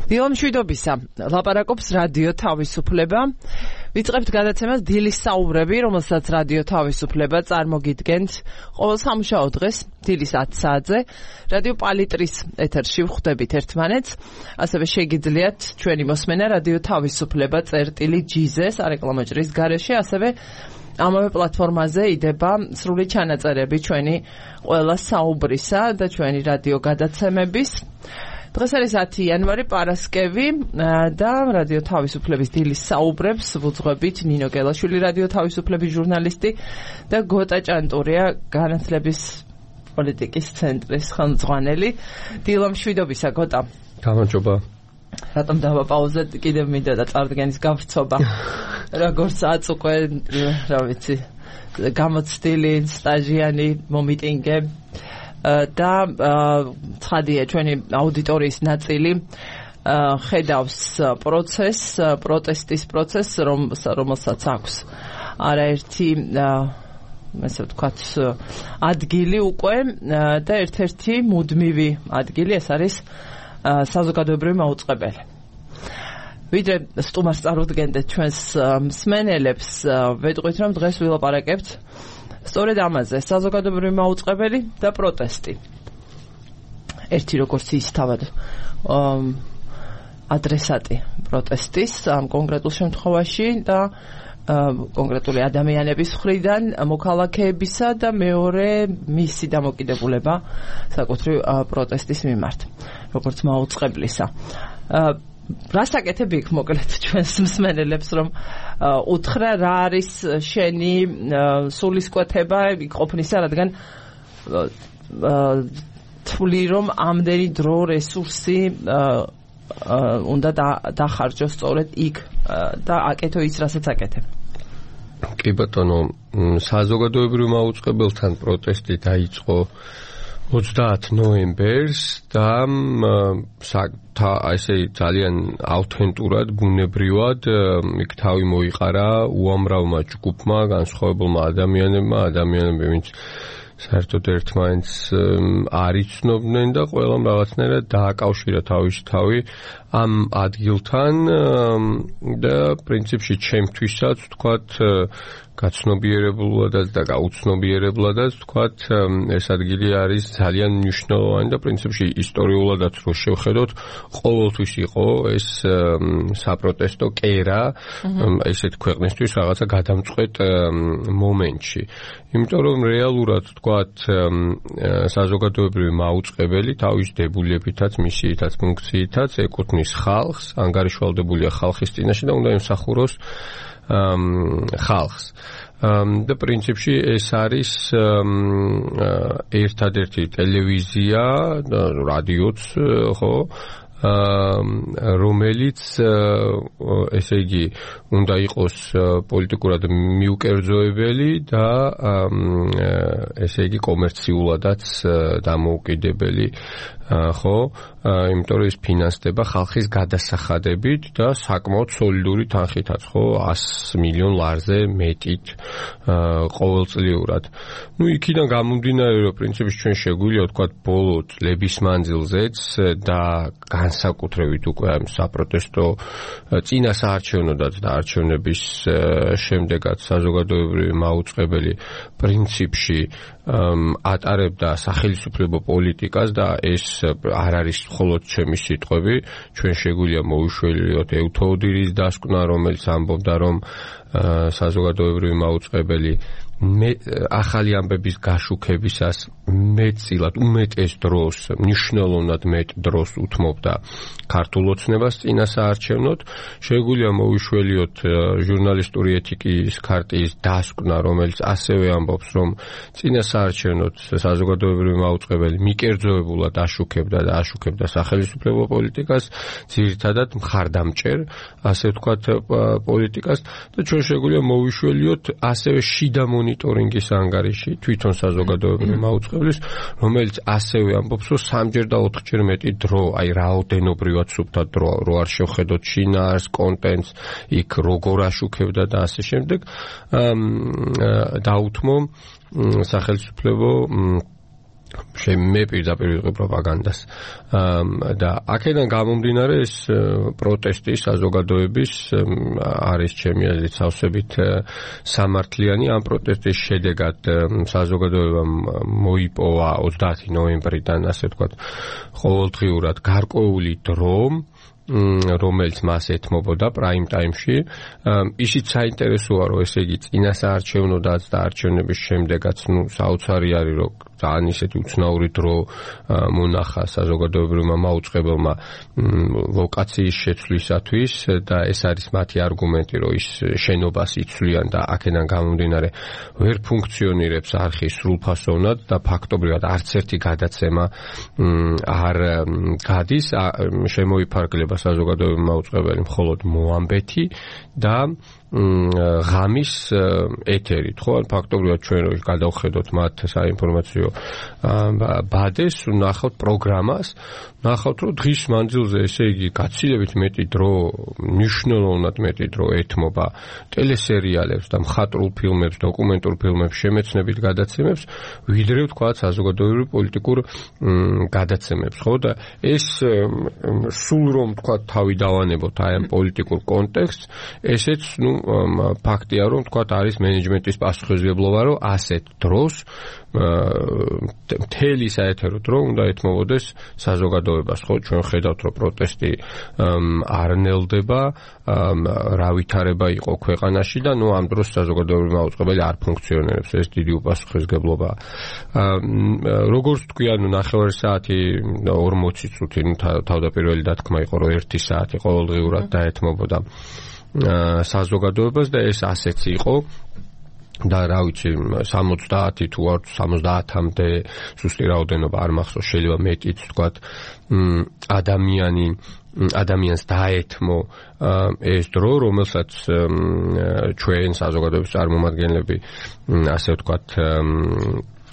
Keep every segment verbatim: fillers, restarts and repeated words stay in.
დილა მშვიდობისა, ლაპარაკობს რადიო თავისუფლება. ვიწყებთ გადაცემას დილის საუბრები, რომელსაც რადიო თავისუფლება წარმოგიდგენთ ყოველ სამუშაო დღეს დილის ათ საათზე. რადიო პალიტრის ეთერში ვხვდებით ერთმანეთს. ასევე შეგიძლიათ ჩვენი მოსმენა რადიო თავისუფლება წერტილი ჯიზე სარეკლამო ჭრის გარეშე, ასევე ამავე პლატფორმაზე იდება სრული ჩანაწერები ჩვენი ყველა საუბრისა და ჩვენი რადიო გადაცემების. დღეს არის ათი იანვარი, პარასკევი და რადიო თავისუფლების დილის საუბრებს ვუძღვებით ნინო გელაშვილი, რადიო თავისუფლების ჟურნალისტი და გოტა ჭანტურია, განათლების პოლიტიკის ცენტრის ხელმძღვანელი. დილა მშვიდობისა, გოტა. გამარჯობა. რატომ დავაპაუზეთ, კიდევ მინდა და წარდგენის გავრცობა. როგორც აწ უკვე, რა ვიცი, გამოცდილი, სტაჟიანი, მომიტინგე და ცხადია ჩვენი აუდიტორიის ნაწილი ხედავს პროცესს, პროტესტის პროცესს, რომელსაც აქვს არაერთი ესე ვთქვათ ადგილი უკვე და ერთ-ერთი მუდმივი ადგილი ეს არის საზოგადოებრივი მაუწყებელი. ვიდრე სტუმარს წარუდგენდეთ ჩვენს მსმენელებს, ვეტყვით რომ დღეს ვილაპარაკებთ სწორედ ამაზე, საზოგადოებრივი მაუწყებელი და პროტესტი. ერთი როგორც ის თავად ადრესატი პროტესტის ამ კონკრეტულ შემთხვევაში და კონკრეტული ადამიანების მხრიდან მოქალაქეებისა და მეორე მისი დამოკიდებულება საკუთრივ პროტესტის მიმართ, როგორც მაუწყებლისა. რას აკეთებ იქ მოკლედ ჩვენს მსმენელებს, რომ უთხრა რა არის შენი სულისკვეთება იქ ყოფნისა, რადგან თვლი რომ ამდენი დრო რესურსი უნდა დახარჯოს სწორედ იქ და აკეთო ის, რასაც აკეთებ. კი ბატონო, საზოგადოებრივ მაუწყებელთან პროტესტი დაიწყო ოცდაათი ნოემბერს და ესე ძალიან ავთენტურად, ბუნებრივად იქ თავი მოიყარა უამრავმა ჯგუფმა, განსხვავებულმა ადამიანებმა, ადამიანები, ვინც საერთოდ ერთმანეთს არ იცნობდნენ და ყველამ რაღაცნაირად დააკავშირა თავისი თავი ამ ადგილთან და პრინციპში ჩემთვისაც ვთქვათ გაცნობიერებულადაც და გაუცნობიერებლადაც ვთქვათ ეს ადგილი არის ძალიან მნიშვნელოვანი და პრინციპში ისტორიულადაც რო შევხედოთ ყოველთვის იყო ეს საპროტესტო კერა ესეთ ქვეყნისთვის რაღაცა გადამწყვეტ მომენტში. იმიტომ რომ რეალურად ვთქვათ საზოგადოებრივი მაუწყებელი თავის დებულებითაც, მისიითაც, ფუნქციითაც ეკუთვნის ხალხს, ანგარიშვალდებულია ხალხის წინაშე და უნდა ემსახუროს ხალხს. და პრინციპში ეს არის ერთადერთი ტელევიზია, რადიოც, ხო, რომელიც ესე იგი უნდა იყოს პოლიტიკურად მიუკერძოებელი და ესე იგი კომერციულადაც დამოუკიდებელი, ხო, იმიტომ რომ ის ფინანსდება ხალხის გადასახადებით და საკმაოდ სოლიდური თანხითაც, ხო, ასი მილიონ ლარზე მეტით ყოველწლიურად. ნუ იქიდან გამომდინარე, რომ პრინციპში ჩვენ შეგვიძლია ვთქვათ ბოლო წლების მანძილზეც და განსაკუთრებით უკვე ამ საპროტესტო წინა საარჩევნოდაც და არჩევნების შემდეგაც საზოგადოებრივი მაუწყებელი პრინციპში ატარებდა სახელმწიფო პოლიტიკას და ეს არ არის მხოლოდ ჩემი სიტყვები, ჩვენ შეგვიძლია მოვიშველიოთ ევთოოდირის დასკვნა, რომელიც ამბობდა, რომ საზოგადოებრივი მაუწყებელი ახალი ამბების გაშუქებისას მეტწილად, უმეტეს დროს, მნიშვნელოვნად მეტ დროს უთმობდა ქართულ ოცნებას წინა საარჩევნოდ. შეგვიძლია მოვიშველიოთ ჟურნალისტური ეთიკის ქარტიის დასკვნა, რომელიც ასევე ამბობს, რომ წინა საარჩევნოდ საზოგადოებრივი მაუწყებელი მიკერძოებულად აშუქებდა და აშუქებდა სახელმწიფო პოლიტიკას, ძირითადად მხარდამჭერ, ასე ვთქვათ, პოლიტიკას და ჩვენ შეგვიძლია მოვიშველიოთ ასევე შიდა მონიტორინგის ანგარიში თვითონ საზოგადოებრივი მაუწყებლის, რომელიც ასევე ამბობს, რომ სამჯერ და ოთხჯერ მეტი დრო, აი რაოდენობრივად სუფთა დრო, რო არ შევხედოთ შინაარს, კონტენტს, იქ როგორ აშუქებდა და ასე შემდეგ, დაუთმო სახელმწიფო მე პირდაპირ ვიყო პროპაგანდას და აქედან გამომდინარე ეს პროტესტი საზოგადოების არის ჩემი აზრით სავსებით სამართლიანი ამ პროტესტის შედეგად საზოგადოებამ მოიპოვა ოცდაათი ნოემბრიდან ასე ვთქვათ ყოველდღიურად გარკვეული დრო რომელიც მას ეთმობოდა პრაიმ ტაიმში ისიც საინტერესოა რომ ესე იგი წინასაარჩევნოდაც და არჩევნების შემდეგაც ნუ საოცარი არის რომ ძალიან ისეთი უცნაური დრო მონახა საზოგადოებრივმა მაუწყებელმა ლოკაციის შეცვლისათვის და ეს არის მათი არგუმენტი რომ ის შენობას იცვლიან და აქედან გამომდინარე ვერ ფუნქციონირებს არხი სრულფასოვნად და ფაქტობრივად არც ერთი გადაცემა არ გადის შემოიფარგლება საზოგადოებრივი მაუწყებელი მხოლოდ მოამბეთი და ღამის ეთერით, ხო? ფაქტობრივად ჩვენ რო გადავხედოთ მათ საინფორმაციო ბადეს, ნახავთ პროგრამას, ნახავთ რომ დღის მანძილზე ესე იგი გაცილებით მეტი დრო, მნიშვნელოვნად მეტი დრო ეთმობა ტელესერიალებს და მხატვრულ ფილმებს, დოკუმენტურ ფილმებს, შემეცნებით გადაცემებს, ვიდრე ვთქვათ საზოგადოებრივ პოლიტიკურ გადაცემებს, ხო? და ეს სულ რომ ვთქვათ თავი დავანებოთ აი ამ პოლიტიკურ კონტექსტს, ესეც ნუ ფაქტია რომ ვთქვათ არის მენეჯმენტის პასუხისმგებლობა რომ ასეთ დროს მთელი საეთერო დრო უნდა ეთმობოდეს საზოგადოებას ხო ჩვენ ხედავთ რომ პროტესტი არ ნელდება რა ვითარება იყო ქვეყანაში და ნუ ამ დროს საზოგადოებრივი მაუწყებელი არ ფუნქციონირებს ეს დიდი უპასუხისმგებლობაა როგორც თქვი ანუ ნახევარი საათი ორმოცი წუთი ნუ თავდაპირველი დათქმა იყო რომ ერთი საათი ყოველდღიურად დაეთმობოდა საზოგადოებას და ეს ასეც იყო და რა ვიცი სამოცდაათი თუ არ სამოცდაათამდე ზუსტი რაოდენობა არ მახსოვს შეიძლება მეტიც ვთქვათ ადამიანი ადამიანს დაეთმო ეს დრო რომელსაც ჩვენ საზოგადოების წარმომადგენლები ასე ვთქვათ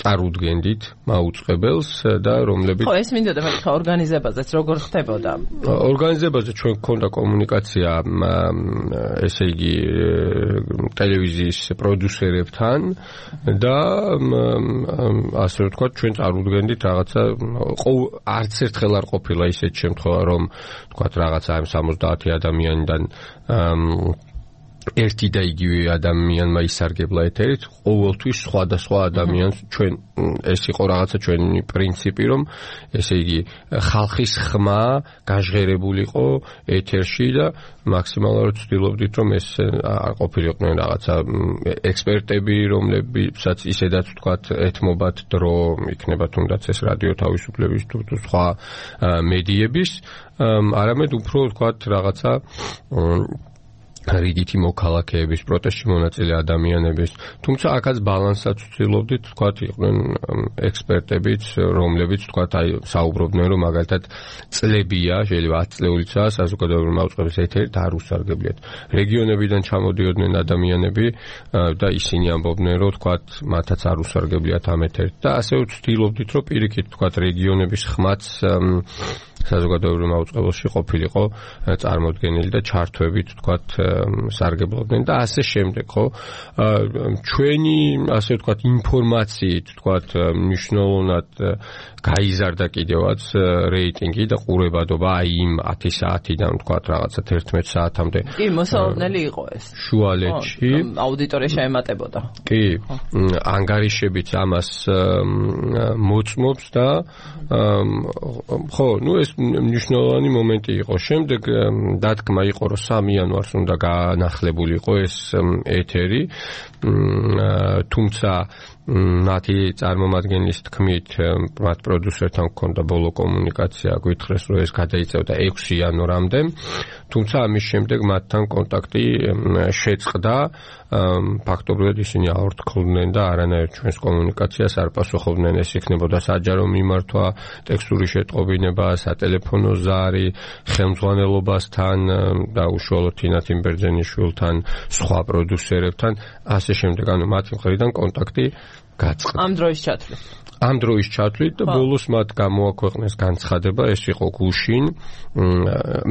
წარუდგენდით მაუწყებელს და რომლებიც ხო ეს მინდოდა მეთქვა ორგანიზებაზეც როგორ ხდებოდა ორგანიზებაზე ჩვენ გქონდა კომუნიკაცია ესე იგი ტელევიზიის პროდიუსერებთან და ასე ვთქვათ ჩვენ წარუდგენდით რაღაცა არც ერთხელ არ ყოფილა ისეთ შემთხვევა რომ ვთქვათ რაღაცა ამ სამოცდაათი ადამიანიდან ერთი და იგივე ადამიანმა ისარგებლა ეთერით, ყოველთვის სხვადასხვა ადამიანს ჩვენ ეს იყო რაღაცა ჩვენი პრინციპი, რომ ესე იგი ხალხის ხმა გაჟღერებულიყო ეთერში და მაქსიმალურად ვცდილობდით, რომ ეს არ ყოფილიყვნენ რაღაცა ექსპერტები, რომლებსაც ისედაც ვთქვათ ეთმობათ დრო, იქნება თუნდაც ეს რადიო თავისუფლების თუ სხვა მედიების, არამედ უფრო ვთქვათ რაღაცა რიგითი მოქალაქეების პროტესტში მონაწილე ადამიანების თუმცა აქაც ბალანსაც ვცდილობდით თქვათ იყვნენ ექსპერტებიც რომლებიც თქვათ აი საუბრობდნენ რომ მაგალითად წლებია შეიძლება ათი წლეულიცაა საზოგადოებრივი მაუწყებლის ეთერით არ უსარგებლიათ რეგიონებიდან ჩამოდიოდნენ ადამიანები და ისინი ამბობდნენ რომ თქვათ მათაც არ უსარგებლიათ ამ ეთერით და ასევე ვცდილობდით რომ პირიქით თქვათ რეგიონების ხმაც საზოგადოებრივ მაუწყებელში ყოფილიყო წარმოდგენილი და ჩართვებით თქვათ სარგებლობდნენ და ასე შემდეგ ხო ჩვენი ასე ვთქვათ ინფორმაციით ვთქვათ მნიშვნელოვნად გაიზარდა კიდევაც რეიტინგი და ყურებადობა აი იმ ათი საათიდან ვთქვათ რაღაცა თერთმეტ საათამდე კი მოსალოდნელი იყო ეს შუალედში აუდიტორია შეემატებოდა კი ანგარიშებიც ამას მოწმობს და ხო ნუ ეს მნიშვნელოვანი მომენტი იყო. შემდეგ დათქმა იყო, რომ სამი იანვარს უნდა განახლებულიყო ეს ეთერი, თუმცა მათი წარმომადგენლის თქმით, მათ პროდიუსერთან ჰქონდა ბოლო კომუნიკაცია, გითხრეს, რომ ეს გადაიწევდა ექვსი იანვრამდე, თუმცა ამის შემდეგ მათთან კონტაქტი შეწყდა, ფაქტობრივად ისინი აორთქლდნენ და არანაირ ჩვენს კომუნიკაციას არ პასუხობდნენ, ეს იქნებოდა საჯარო მიმართვა, ტექსტური შეტყობინება, სატელეფონო ზარი, ხელმძღვანელობასთან და უშუალოდ თინათინ ბერძენიშვილთან, სხვა პროდიუსერებთან, ასე შემდეგ, ანუ მათი მხრიდან კონტაქტი გაწყდა. ამ დროის ჩათვლით. ამ დროის ჩათვლით და ბოლოს მათ გამოაქვეყნეს განცხადება, ეს იყო გუშინ.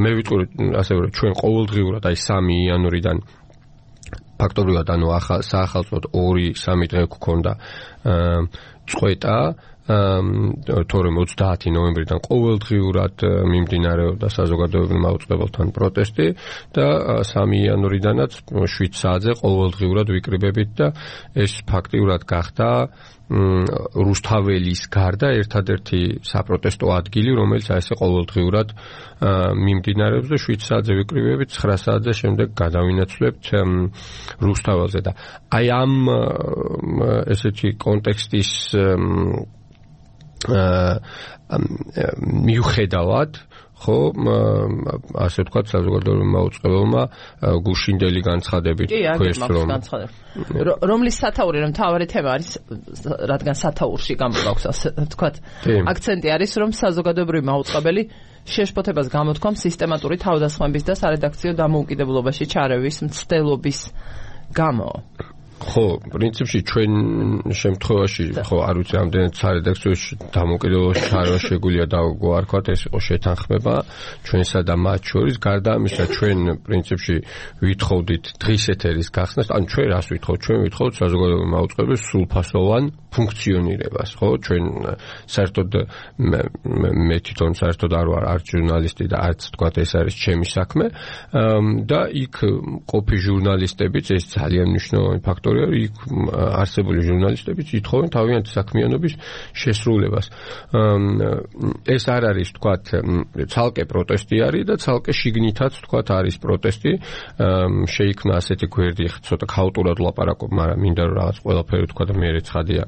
მე ვიტყვი ასევე რომ ჩვენ ყოველდღიურად აი სამი იანვრიდან ფაქტობრივად ანუ ახალ საახალწლოდ ორი სამი დღე გვქონდა წყვეტა თორემ ოცდაათი ნოემბრიდან ყოველდღიურად მიმდინარეობდა საზოგადოებრივ მაუწყებელთან პროტესტი და სამი იანვრიდანაც შვიდ საათზე ყოველდღიურად ვიკრიბებით და ეს ფაქტიურად გახდა რუსთაველის გარდა ერთადერთი საპროტესტო ადგილი, რომელიც აი ესე ყოველდღიურად მიმდინარეობს და შვიდ საათზე ვიკრიბებით, ცხრა საათზე შემდეგ გადავინაცვლებთ რუსთაველზე და აი ამ ესეთი კონტექსტის მიუხედავად ხო ასე ვთქვათ საზოგადოებრივ მაუწყებელმა გუშინდელი განცხადებით ქვეს რომ რომლის სათაური რომ თავარი თემა არის რადგან სათაურში გამოგვაქვს ასე ვთქვათ აქცენტი არის რომ საზოგადოებრივი მაუწყებელი შეშფოთებას გამოთქვამს სისტემატური თავდასხმების და სარედაქციო დამოუკიდებლობაში ჩარევის მცდელობის გამო ხო, პრინციპში ჩვენ შემთხვევაში ხო არ ვიცი ამდენად სარედაქციოში დამოუკიდებლობაში ჩარევა შეგვიძლია დავგვარქვათ ეს იყო შეთანხმება ჩვენსა და მათ შორის გარდა ამისა ჩვენ პრინციპში ვითხოვდით დღის ეთერის გახსნას ან ჩვენ რას ვითხოვთ ჩვენ ვითხოვთ საზოგადოებრივი მაუწყებლის სრულფასოვან ფუნქციონირებას ხო ჩვენ საერთოდ მე თვითონ საერთოდ არ ვარ არც ჟურნალისტი და არც თქვათ ეს არის ჩემი საქმე და იქ ყოფი ჟურნალისტებიც ეს ძალიან მნიშვნელოვანი ფაქტორია იქ არსებული ჟურნალისტებიც ითხოვენ თავიანთი საქმიანობის შესრულებას ეს არ არის თქვათ ცალკე პროტესტი არის და ცალკე შიგნითაც თქვათ არის პროტესტი შეიქმნა ასეთი გვერდი ცოტა ქაოტურად ვლაპარაკობ მაგრამ მინდა რომ რაღაც ყველაფერი თქვა და მე რეცხადია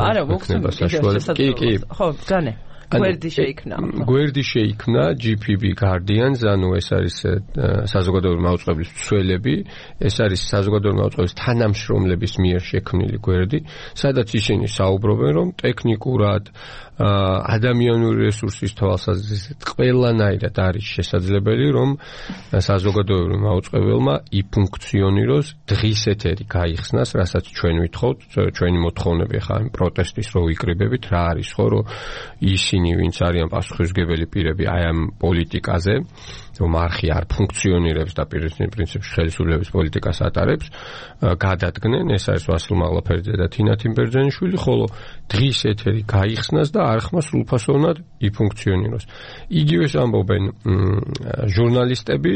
არა მოხსენებთ კი კი ხო ძანე გვერდი შეიქმნა გვერდი შეიქმნა ჯი პი ბი Guardians ანუ ეს არის საზოგადოებრივი მაუწყებლის მცველები ეს არის საზოგადოებრივი მაუწყებლის თანამშრომლების მიერ შექმნილი გვერდი სადაც ისინი საუბრობენ რომ ტექნიკურად ადამიანური რესურსის თვალსაზრისით ყველანაირად არის შესაძლებელი რომ საზოგადოებრივ მაუწყებელმა იფუნქციონიროს დღის ეთერი გაიხსნას რასაც ჩვენ ვითხოვთ ჩვენი მოთხოვნები ხა იმ პროტესტის რო ვიკრიბებით რა არის ხო რომ ისინი ვინც არიან პასუხისმგებელი პირები აი ამ პოლიტიკაზე რომ არხი არ ფუნქციონირებს და პრინციპში ხელისუფლების პოლიტიკას ატარებს გადადგნენ ეს არის ვასილ მაღლაფერიძე და თინა თიმბერძენიშვილი ხოლო დღის ეთერი გაიხსნას და არხმა სრულფასოვნად იფუნქციონიროს იგივეს ამბობენ ჟურნალისტები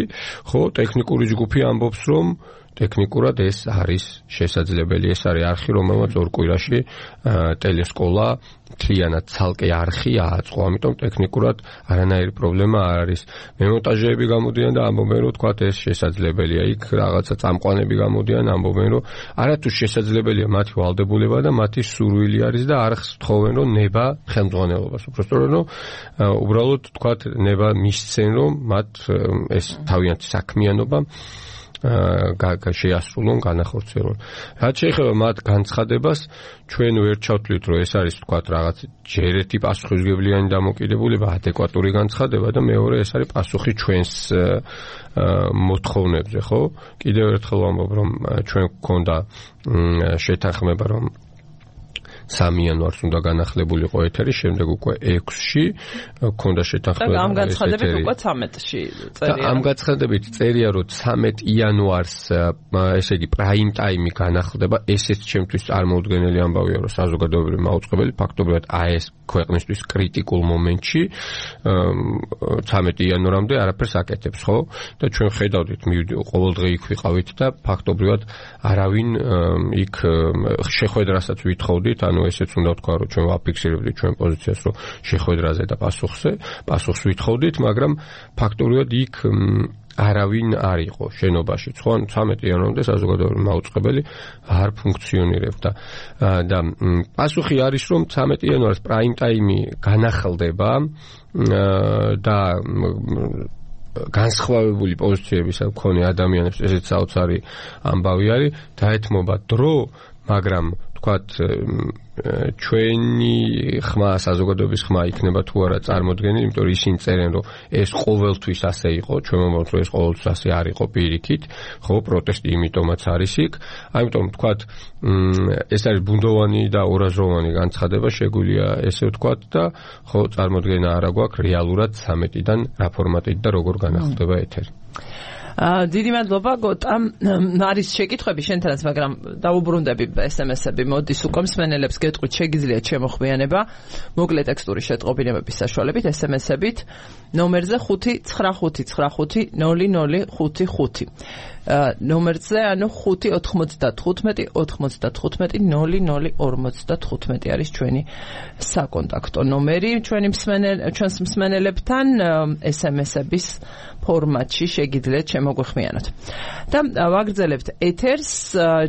ხო ტექნიკური ჯგუფი ამბობს რომ ტექნიკურად ეს არის შესაძლებელი ეს არის არხი რომელმაც ორ კვირაში ტელესკოლა მთლიანად ცალკე არხი ააწყო ამიტომ ტექნიკურად არანაირი პრობლემა არ არის მემონტაჟეები გამოდიან და ამბობენ რომ თქვათ ეს შესაძლებელია იქ რაღაცა წამყვანები გამოდიან ამბობენ რომ არათუ შესაძლებელია მათი ვალდებულება და მათი სურვილი არის და არხს თხოვენ რომ ნება ხელმძღვანელობას უბრალოდ რომ უბრალოდ თქვათ ნება მისცენ რომ მათ ეს თავიანთი საქმიანობა შეასრულონ, განახორციელონ. რაც შეეხება მათ განცხადებას, ჩვენ ვერ ჩავთვლით, რომ ეს არის თქვათ რაღაც ჯერეთი პასუხისმგებლიანი დამოკიდებულება, ადეკვატური განცხადება და მეორე ეს არის პასუხი ჩვენს მოთხოვნებზე, ხო? კიდევ ერთხელ ვამბობ, რომ ჩვენ გვქონდა შეთანხმება, რომ სამი იანვარს უნდა განახლებულიყო ეთერი, შემდეგ უკვე ექვსში გქონდა შეთანხმება. და ამ განცხადებით უკვე ცამეტში წერია. და ამ განცხადებით წერია, რომ ცამეტ იანვარს, ესე იგი, პრაიმ ტაიმი განახლდება, ესეც ჩემთვის წარმოუდგენელი ამბავია, რომ საზოგადოებრივი მაუწყებელი ფაქტობრივად აი ეს ქვეყნისთვის კრიტიკულ მომენტში ცამეტ იანვრამდე არაფერს აკეთებს, ხო? და ჩვენ ხედავდით, ყოველდღე იქ ვიყავით და ფაქტობრივად არავინ იქ შეხვედრასაც ვითხოვდით, ანუ ესეც უნდა ვთქვა, რომ ჩვენ ვაფიქსირებდით ჩვენ პოზიციას, რომ შეხვედრაზე და პასუხზე, პასუხს ვითხოვდით, მაგრამ ფაქტობრივად იქ არავინ არ იყო შენობაში. Სხვა ცამეტ იანვრამდე საზოგადოებრივი მაუწყებელი არ ფუნქციონირებდა. და პასუხი არის, რომ ცამეტ იანვარს პრაიმ ტაიმი განახლდება და განსხვავებული პოზიციების მქონე ადამიანებს ესეც საოცარი ამბავი არის, დაეთმობა დრო, მაგრამ თქვათ ჩვენი ხმა საზოგადოების ხმა იქნება თუ არა წარმოდგენილი, იმიტომ რომ ისინი წერენ, რომ ეს ყოველთვის ასე იყო, ჩვენ მომავალ რომ ეს ყოველთვის ასე არ იყო პირიქით, ხო, პროტესტი იმიტომაც არის იქ. ამიტომ თქვათ ეს არის ბუნდოვანი და ორაზროვანი განცხადება, შეგვიძლია ესე ვთქვათ და ხო, წარმოდგენა არა გვაქვს რეალურად ცამეტიდან რა ფორმატით და როგორ განახლდება ეთერი. დიდი მადლობა გოტა. არის შეკითხვები შენთანაც, მაგრამ დაუბრუნდები ეს ემ ესები მოდის უკვე მსმენელებს გეტყვით შეგიძლიათ შემოხვიანება მოკლე ტექსტური შეტყობინებების საშუალებით ეს ემ ესებით ნომერზე ხუთი ცხრა ხუთი ცხრა ხუთი ნული ნული ხუთი ხუთი ნომერზე ანუ ხუთი ოთხმოცდათხუთმეტი ოთხმოცდათხუთმეტი ნული ნული ორმოცდათხუთმეტი არის ჩვენი საკონტაქტო ნომერი ჩვენი მსმენელ ჩვენს მსმენელებთან ეს ემ ესების ფორმატში შეგიძლიათ შემოგვიხმიანოთ. და ვაგრძელებთ ეთერს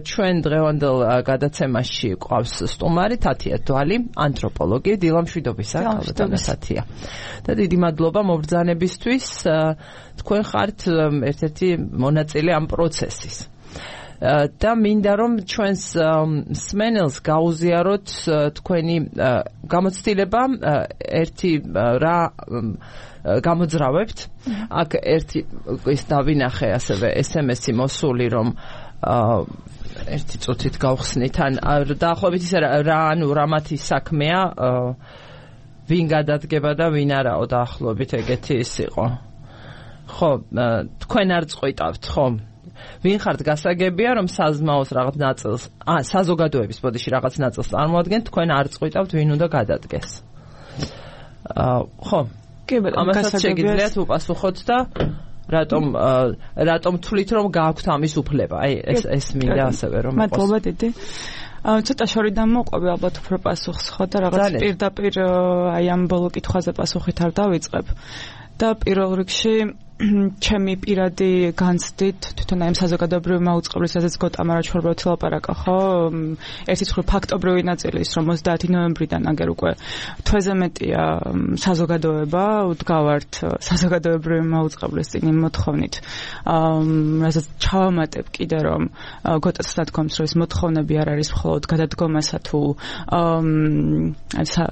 ჩვენ დღევანდელ გადაცემაში ყავს სტუმარი თათია დვალი, ანთროპოლოგი, დილამშვიდობისა, ქალბატონია. და დიდი მადლობა მობრძანებისთვის. თქვენ ხართ ერთ-ერთი მონაწილე ამ პროცესის. და მინდა რომ ჩვენს მსმენელს გაუზიაროთ თქვენი გამოცდილება ერთი რა გამოძრავებთ. აქ ერთი ის დავინახე ასევე ეს ემ ესი მოსული რომ ერთი წუთით გავხსნით ან დაახლოებით ისე რა ანუ რამათი საქმეა ვინ გადადგება და ვინ არაო დაახლოებით ეგეთი ის იყო. ხო, თქვენ არ წყვიტავთ, ხო? ვინ ხართ გასაგებია რომ საზმაოს რაღაც ნაწილს, ა საზოგადოების ბოდიში რაღაც ნაწილს წარმოადგენთ, თქვენ არ წყვიტავთ ვინ უნდა გადადგეს. აა ხო, კი ბატონო, ამასაც შეგიძლიათ უპასუხოთ და რატომ რატომ თვლით რომ გააქვთ ამის უფლება? აი ეს ეს მინდა ასევე რომ იყოს. მადლობა დიდი. ცოტა შორიდან მოყვები ალბათ უფრო პასუხს ხო და რაღაც პირდაპირ აი ამ ბოლო კითხვაზე პასუხით არ დავიწყებ. და პირველ რიგში ჩემი პირადი განცდით თვითონ აი საზოგადოებრივი მაუწყებლის ასეც გოტამ არაჩვეულებრივად ლაპარაკა ხო ერთი ცხრა ფაქტობრივი ნაწილი ის რომ ოცდაათი ნოემბრიდან აგერ უკვე თვეზე მეტია საზოგადოება უდგავართ საზოგადოებრივი მაუწყებლის წინ მოთხოვნით რასაც ჩავამატებ კიდე რომ გოტას სათქმის რომ ეს მოთხოვნები არ არის მხოლოდ გადადგომასა თუ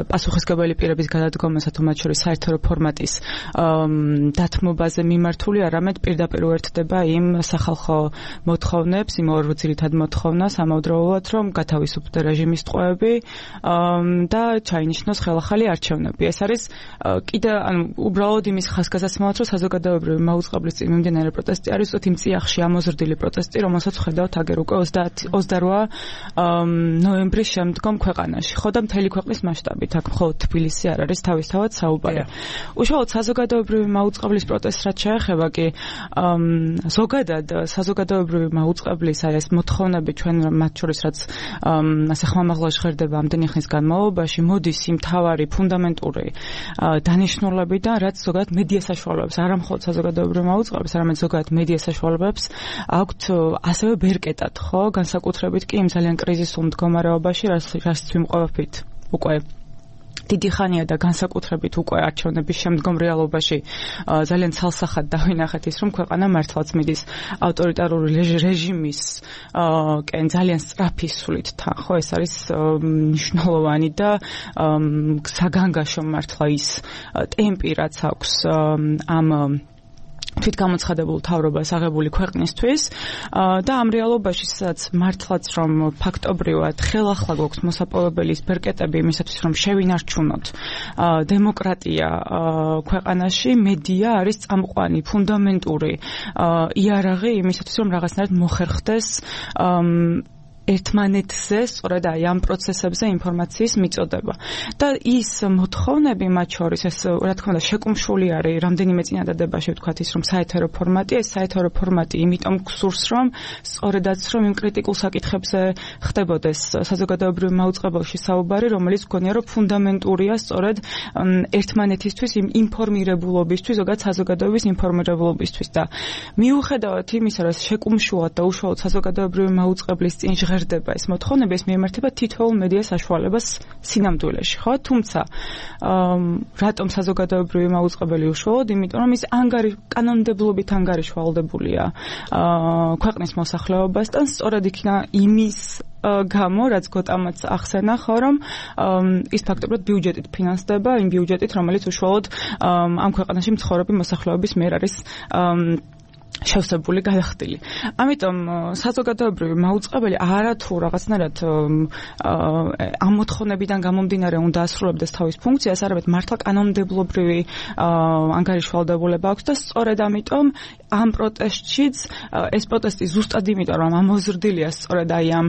პასუხისმგებელი პირების გადადგომასა თუ მათ შორის საერთო ფორმატის დათმობაზე მიმართული არამედ პირდაპირ უერთდება იმ სახალხო მოთხოვნებს, იმ ორ ძირითად მოთხოვნას ამავდროულად რომ გათავისუფლდეს რეჟიმის ტყვეები და ჩაინიშნოს ხელახალი არჩევნები. ეს არის კიდე ანუ უბრალოდ იმის ხაზგასაცემად რომ საზოგადოებრივი მაუწყებლის წინ მიმდინარე პროტესტი არის უცებ იმ წიაღში ამოზრდილი პროტესტი, რომელსაც ხედავთ აგერ უკვე ოცდაოთხ ნოემბრის შემდგომ ქვეყანაში. ხო და მთელი ქვეყნის მასშტაბით, აქ მხოლოდ თბილისი არ არის თავისთავად საუბარი. უშუალოდ საზოგადოებრივი მაუწყებლის პროტესტს რაც შეეხება კი ზოგადად საზოგადოებრივი მაუწყებლის აი ეს მოთხოვნები ჩვენ მათ შორის რაც ასე ხმამაღლა ჟღერდება ამდენი ხნის განმავლობაში მოდის იმ თავარი ფუნდამენტური დანიშნულებიდან რაც ზოგადად მედია საშუალებებს არა მხოლოდ საზოგადოებრივი მაუწყებლის არამედ ზოგადად მედია საშუალებებს აქვთ ასევე ბერკეტად ხო განსაკუთრებით კი იმ ძალიან კრიზისულ მდგომარეობაში რაც ვიმყოფებით უკვე დიდი ხანია და განსაკუთრებით უკვე არჩევნების შემდგომ რეალობაში ძალიან ცალსახად დავინახეთ ის რომ ქვეყანა მართლაც მიდის ავტორიტარული რეჟიმის კენ ძალიან სწრაფი სულით თან ხო ეს არის მნიშვნელოვანი და საგანგაშო მართლა ის ტემპი რაც აქვს ამ თვითგამოცხადებულ თავრობას აღებული ქვეყნისთვის და ამ რეალობაში სადაც მართლაც რომ ფაქტობრივად ხელახლა გვაქვს მოსაპოვებელი ბერკეტები იმისათვის რომ შევინარჩუნოთ დემოკრატია ქვეყანაში მედია არის წამყვანი ფუნდამენტური იარაღი იმისათვის რომ რაღაცნაირად მოხერხდეს ერთმანეთზე სწორედ აი ამ პროცესებზე ინფორმაციის მიწოდება და ის მოთხოვნები მათ შორის ეს რა თქმა უნდა შეკუმშული არის რამდენიმე წინადადებაში ვთქვათ ის რომ საეთერო ფორმატი ეს საეთერო ფორმატი იმიტომ გსურს რომ სწორედაც რომ იმ კრიტიკულ საკითხებზე ხდებოდეს საზოგადოებრივ მაუწყებელში საუბარი რომელიც გქონია რომ ფუნდამენტურია სწორედ ერთმანეთისთვის იმ ინფორმირებულობისთვის ზოგადად საზოგადოების ინფორმირებულობისთვის და მიუხედავად იმისა რომ შეკუმშულად და უშუალოდ საზოგადოებრივ მაუწყებლის წინ ჟღერდება ეს მოთხოვნები ეს მიემართება თითოეულ მედია საშუალებას სინამდვილეში ხო თუმცა რატომ საზოგადოებრივი მაუწყებელი უშუალოდ იმიტომ რომ ის ანგარი კანონმდებლობით ანგარიშვალდებულია ქვეყნის მოსახლეობასთან სწორედ იქნა იმის გამო რაც გოტამაც ახსენა ხო რომ ის ფაქტობრივად ბიუჯეტით ფინანსდება იმ ბიუჯეტით რომელიც უშუალოდ ამ ქვეყანაში მცხოვრები მოსახლეობის მიერ არის შევსებული გადახდილი. ამიტომ საზოგადოებრივი მაუწყებელი არათუ რაღაცნაირად ამ მოთხოვნებიდან გამომდინარე უნდა ასრულებდეს თავის ფუნქციას, არამედ მართლა კანონმდებლობრივი ანგარიშვალდებულება აქვს და სწორედ ამიტომ ამ პროტესტშიც ეს პროტესტი ზუსტად იმიტომ რომ ამოზრდილია სწორედ აი ამ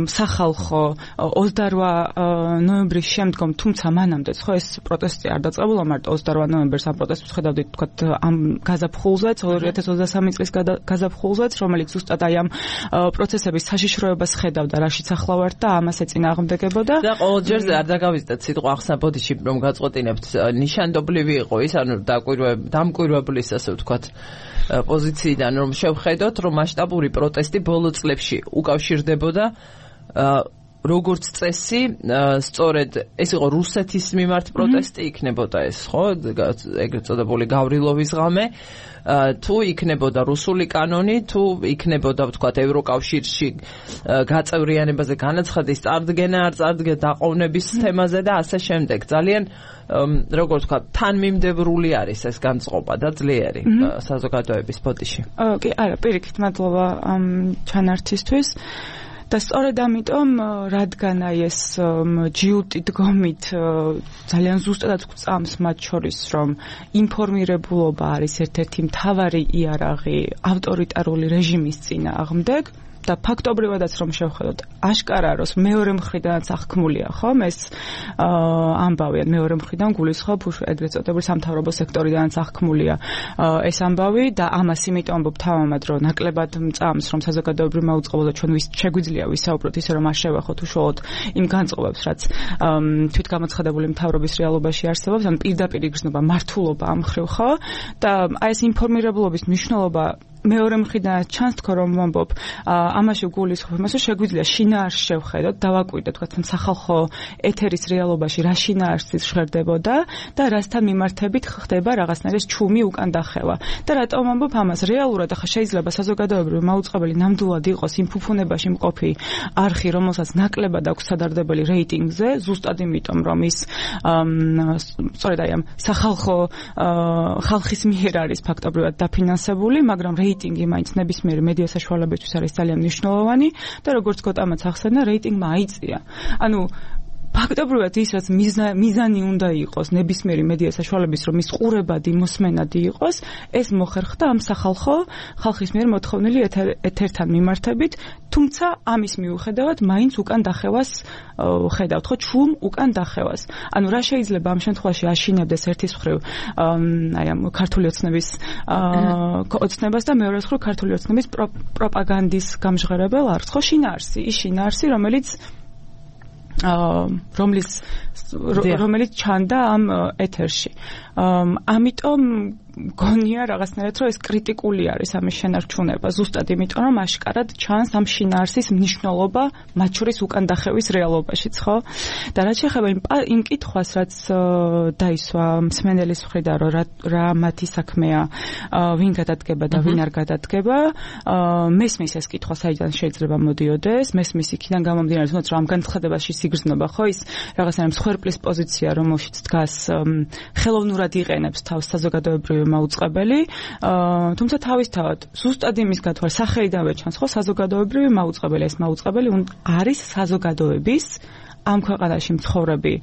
სახალხო ოცდაორ ნოემბრის შემდგომ, თუმცა მანამდეც ხო ეს პროტესტი არ დაწყებულა მარტო ოცდაორ ნოემბერს, ამ პროტესტს ხედავდით თქვა ამ გაზაფხულზეც ორი ათას ოცდასამი წლის გაზაფხულზეც, რომელიც ზუსტად აი ამ პროცესების საშიშროებას ხედავდა, რაშიც ახლა ვართ და ამას ეწინააღმდეგებოდა. და ყოველ ჯერზე არ დაგავიწყდეთ სიტყვა ახსნა ბოდიში რომ გაწყვეტინებთ ნიშანდობლივი იყო ის, ანუ დამკვირვებლის ასე ვთქვათ პოზიციიდან რომ შევხედოთ, რომ მასშტაბური პროტესტი ბოლო წლებში უკავშირდებოდა როგორც წესი, სწორედ ეს იყო რუსეთის მიმართ პროტესტი იქნებოდა ეს, ხო? ეგრეთ წოდებული გავრილოვის ღამე, თუ იქნებოდა რუსული კანონი, თუ იქნებოდა ვთქვათ ევროკავშირში გაწევრიანებაზე განაცხადის წარდგენა, არ წარდგენა დაყოვნების თემაზე და ასე შემდეგ. ძალიან როგორც ვთქვათ, თანმიმდევრული არის ეს განწყობა და ძლიერი საზოგადოების ბოდიში. კი, არა, პირიქით, მადლობა ამ ჩანართისთვის. და სწორედ ამიტომ, რადგან აი ეს ჯიუტი დგომით ძალიან ზუსტად გვწამს მათ შორის, რომ ინფორმირებულობა არის ერთ-ერთი მთავარი იარაღი ავტორიტარული რეჟიმის წინააღმდეგ და ფაქტობრივადაც რომ შევხედოთ, აშკარა როს მეორე მხრიდანაც აღქმულია, ხომ? ეს ამბავი, მეორე მხრიდან გულისხმობ ეგრეთ წოდებული სამთავრობო სექტორიდანაც აღქმულია ეს ამბავი და ამას იმიტომ ამბობ თავამად, რომ ნაკლებად მწამს, რომ საზოგადოებრივი მაუწყებლობა ჩვენ ვის შეგვიძლია ვისაუბროთ ისე რომ არ შევახოთ უშუალოდ იმ განწყობებს, რაც თვითგამოცხადებული მთავრობის რეალობაში არსებობს, ან პირდაპირ იგრძნობა მართულობა ამ მხრივ, ხო? და აი ეს ინფორმირებულობის მნიშვნელობა მეორე მხრიდან ჩანს თქო რომ ვამბობ ამაში გულისხმობ იმას რომ შეგვიძლია შინაარსს შევხედოთ, დავაკვირდეთ თქვა სახალხო ეთერის რეალობაში რა შინაარსიც ჟღერდებოდა და რასთან მიმართებით ხდება რაღაცნაირი ჩუმი უკან დახევა. და რატომ ვამბობ ამას? რეალურად ახლა შეიძლება საზოგადოებრივი მაუწყებელი ნამდვილად იყოს იმ ფუფუნებაში მყოფი არხი, რომელსაც ნაკლებად აქვს სადარდებელი რეიტინგზე, ზუსტად იმიტომ რომ ის სწორედ აი ამ სახალხო ხალხის მიერ არის ფაქტობრივად დაფინანსებული, მაგრამ რეიტინგი მაინც ნებისმიერი მედია საშუალებისთვის არის ძალიან მნიშვნელოვანი და როგორც გოტამაც ახსენა, რეიტინგმა აიწია. ანუ ფაქტობრივად ის რაც მიზანი უნდა იყოს ნებისმიერი მედია საშუალების რომ ის ყურებადი, მოსმენადი იყოს, ეს მოხერხდა ამ სახალხო ხალხის მიერ მოთხოვნილი ეთერთან მიმართებით, თუმცა ამის მიუხედავად მაინც უკან დახევას ხედავთ, ხო, ჩუმ უკან დახევას. ანუ რა შეიძლება ამ შემთხვევაში აშინებდეს ერთის მხრივ აი ამ ქართული ოცნების ოცნებას და მეორე მხრივ ქართული ოცნების პროპაგანდის გამჟღერებელ არხს, ხო, შინაარსი, ის შინაარსი, რომელიც რომლის რომელიც ჩანდა ამ ეთერში. ამიტომ გონია რაღაცნაირად რომ ეს კრიტიკული არის ამის შენარჩუნება, ზუსტად იმიტომ რომ აშკარად ჩანს ამ შინაარსის მნიშვნელობა მათ შორის უკან დახევის რეალობაშიც, ხო? და რაც შეეხება იმ კითხვას, რაც დაისვა მსმენელის მხრიდან, რომ რა მათი საქმეა, ვინ გადადგება და ვინ არ გადადგება, მესმის ეს კითხვა საიდან შეიძლება მოდიოდეს, მესმის იქიდან გამომდინარე, თუნდაც რომ ამ განცხადებაში სიგრძნობა, ხო, ის რაღაცნაირად მსხვერპლის პოზიცია, რომელშიც დგას ხელოვნურად იყენებს თავს საზოგადოებრივი მაუწყებელი, თუმცა თავისთავად ზუსტად იმის გათვალ სახელიდანვე ჩანს, ხო, საზოგადოებრივი მაუწყებელი, ეს მაუწყებელი არის საზოგადოების ამ ქვეყანაში მცხოვრები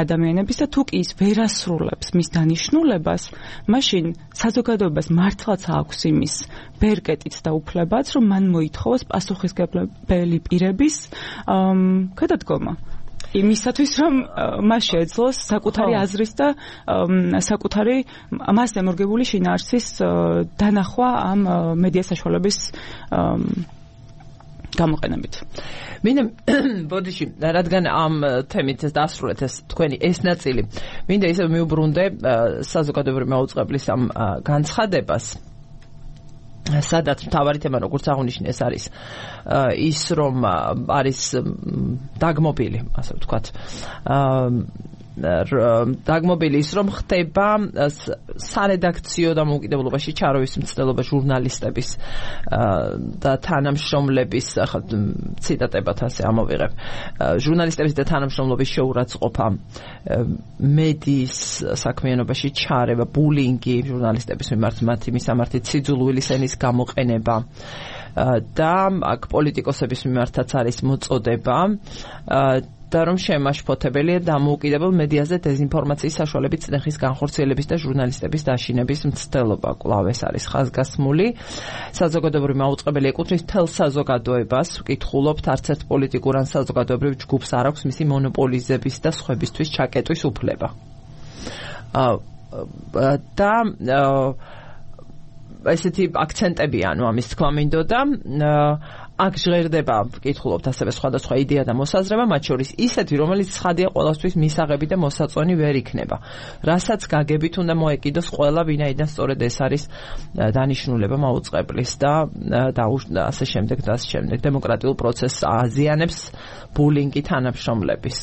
ადამიანების და თუ კი ის ვერ ასრულებს მის დანიშნულებას, მაშინ საზოგადოებას მართლაც აქვს იმის ბერკეტიც და უფლებაც, რომ მან მოითხოვოს პასუხისმგებელი პირების გადადგომა. იმისათვის რომ მას შეეძლოს საკუთარი აზრის და საკუთარი მას დემორგებული შინაარსის დანახვა ამ მედია საშუალების გამოყენებით. მინდა ბოდიში, რადგან ამ თემით დასრულეთ ეს თქვენი ეს ნაწილი, მინდა ისევ მიუბრუნდე საზოგადოებრივი მაუწყებლის ამ განცხადებას, სადაც მთავარი თემა, როგორც აღნიშნე, ეს არის ის, რომ არის დაგმობილი, ასე ვთქვათ, დაგმობილი ის რომ ხდება სარედაქციო დამოუკიდებლობაში ჩაროვის მცდელობა ჟურნალისტების და თანამშრომლების ახლა ციტატებად ასე ამოვიღებ ჟურნალისტების და თანამშრომლობის შეურაცხყოფა მედიის საქმიანობაში ჩარევა ბულინგი ჟურნალისტების მიმართ მათი მისამართი ციძულვილის ენის გამოყენება და აქ პოლიტიკოსების მიმართაც არის მოწოდება და რომ შემაშფოთებელია დამოუკიდებელ მედიაზე დეზინფორმაციის საშუალებით წნეხის განხორციელების და ჟურნალისტების დაშინების მცდელობა კვლავ ეს არის ხაზგასმული საზოგადოებრივი მაუწყებელი ეკუთვნის მთელ საზოგადოებას ვკითხულობთ არც ერთ პოლიტიკურ ან საზოგადოებრივ ჯგუფს არ აქვს მისი მონოპოლიზების და სხვებისთვის ჩაკეტვის უფლება და ესეთი აქცენტები ანუ ამის თქვა მინდოდა აქ ჟღერდება ვკითხულობთ ასევე სხვადასხვა იდეა და მოსაზრება მათ შორის ისეთი რომელიც ცხადია ყველასთვის მისაღები და მოსაწონი ვერ იქნება რასაც გაგებით უნდა მოეკიდოს ყველა ვინაიდან სწორედ ეს არის დანიშნულება მაუწყებლის და და ასე შემდეგ და ასე შემდეგ დემოკრატიულ პროცესს აზიანებს ბულინგი თანამშრომლების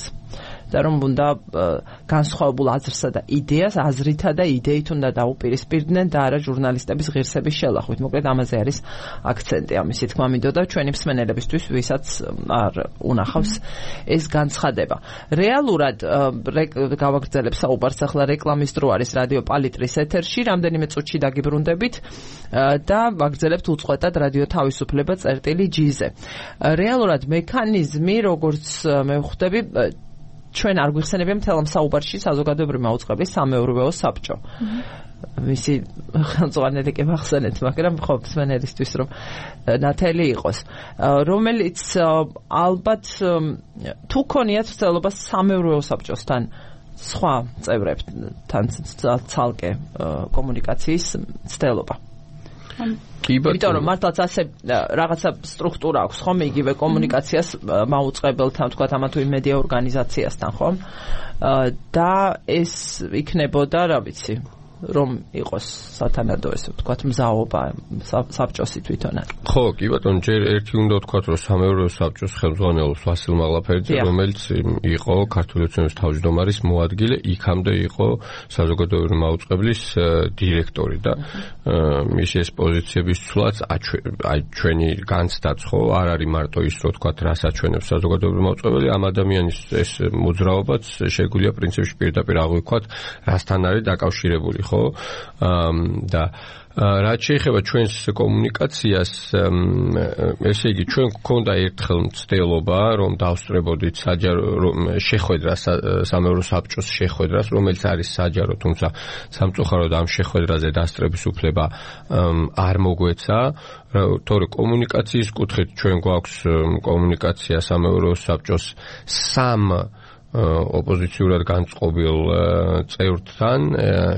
და რომ უნდა განსხვავებულ აზრსა და იდეას აზრითა და იდეით უნდა დაუპირისპირდნენ და არა ჟურნალისტების ღირსების შელახვით. მოკლედ ამაზე არის აქცენტი ამისი თქმა მინდოდა ჩვენი მსმენელებისთვის, ვისაც არ უნახავს ეს განცხადება. რეალურად გავაგრძელებ საუბარს ახლა რეკლამის დრო არის რადიო პალიტრის ეთერში, რამდენიმე წუთში დაგიბრუნდებით და ვაგრძელებთ უწყვეტად რადიო თავისუფლება წერტილი ჯი-ზე. რეალურად მექანიზმი როგორც მე ვხვდები ჩვენ არ გვიხსენებია მთელ ამ საუბარში საზოგადოებრივი მაუწყებლის სამეურვეო საბჭო. მისი ხელმძღვანელი კი მახსენეთ, მაგრამ ხო მსმენელისთვის რომ ნათელი იყოს, რომელიც ალბათ თუ ქონიათ ცდილობა სამეურვეო საბჭოსთან სხვა წევრებთან ცალკე კომუნიკაციის ცდილობა. იმიტომ რომ მართლაც ასე რაღაცა სტრუქტურა აქვს ხომ იგივე კომუნიკაციას მაუწყებელთან თქვა ამა თუ იმ მედია ორგანიზაციასთან ხომ და ეს იქნებოდა რა ვიცი რომ იყოს სათანადო ესე ვთქვათ მზაობა საბჭოსი თვითონ არის. ხო, კი ბატონო, ჯერ ერთი უნდა ვთქვათ, რომ სამეურვეო საბჭოს ხელმძღვანელობს ვასილ მაღლაფერიძე, რომელიც იყო ქართული ოცნების თავმჯდომარის მოადგილე, იქამდე იყო საზოგადოებრივი მაუწყებლის დირექტორი და მისი ეს პოზიციების ცვლაც აი ჩვენი განცდაც ხო არ არის მარტო ის რომ ვთქვათ, რას აჩვენებს საზოგადოებრივი მაუწყებელი, ამ ადამიანის ეს მოძრაობაც შეგვიძლია პრინციპში პირდაპირ აღვიქვათ, რასთან არის დაკავშირებული. ხო და რაც შეეხება ჩვენს კომუნიკაციას ესე იგი ჩვენ გვქონდა ერთხელ მცდელობა რომ დავსწრებოდით საჯარო შეხვედრას სამეურვეო საბჭოს შეხვედრას რომელიც არის საჯარო თუმცა სამწუხაროდ ამ შეხვედრაზე დასწრების უფლება არ მოგვეცა თორე კომუნიკაციის კუთხით ჩვენ გვაქვს კომუნიკაცია სამეურვეო საბჭოს სამ ოპოზიციურად განწყობილ წევრთან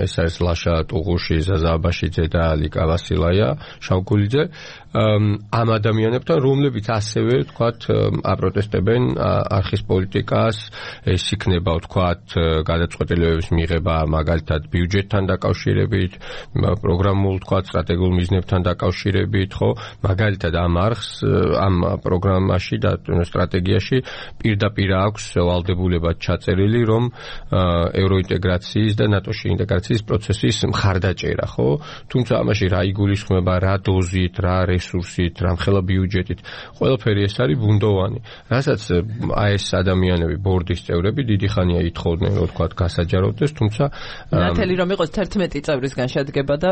ეს არის ლაშა ტუღუში, ზაზა აბაშიძე და ლიკა ვასილაია შავგულიძე ამ ადამიანებთან რომლებიც ასევე ვთქვათ აპროტესტებენ არხის პოლიტიკას ეს იქნება ვთქვათ გადაწყვეტილებების მიღება მაგალითად ბიუჯეტთან დაკავშირებით პროგრამულ ვთქვათ სტრატეგიულ მიზნებთან დაკავშირებით ხო მაგალითად ამ არხს ამ პროგრამაში და სტრატეგიაში პირდაპირ აქვს ვალდებულება ჩაწერილი რომ ევროინტეგრაციის და ნატოში ინტეგრაციის პროცესის მხარდაჭერა ხო თუმცა ამაში რა იგულისხმება რა დოზით რა რესურსით რამხელა ბიუჯეტით ყველაფერი ეს არის ბუნდოვანი რასაც აი ეს ადამიანები ბორდის წევრები დიდი ხანია ითხოვდნენ რომ თქვა გასაჯაროდეს თუმცა ნათელი რომ იყოს თერთმეტი წევრისგან შედგება და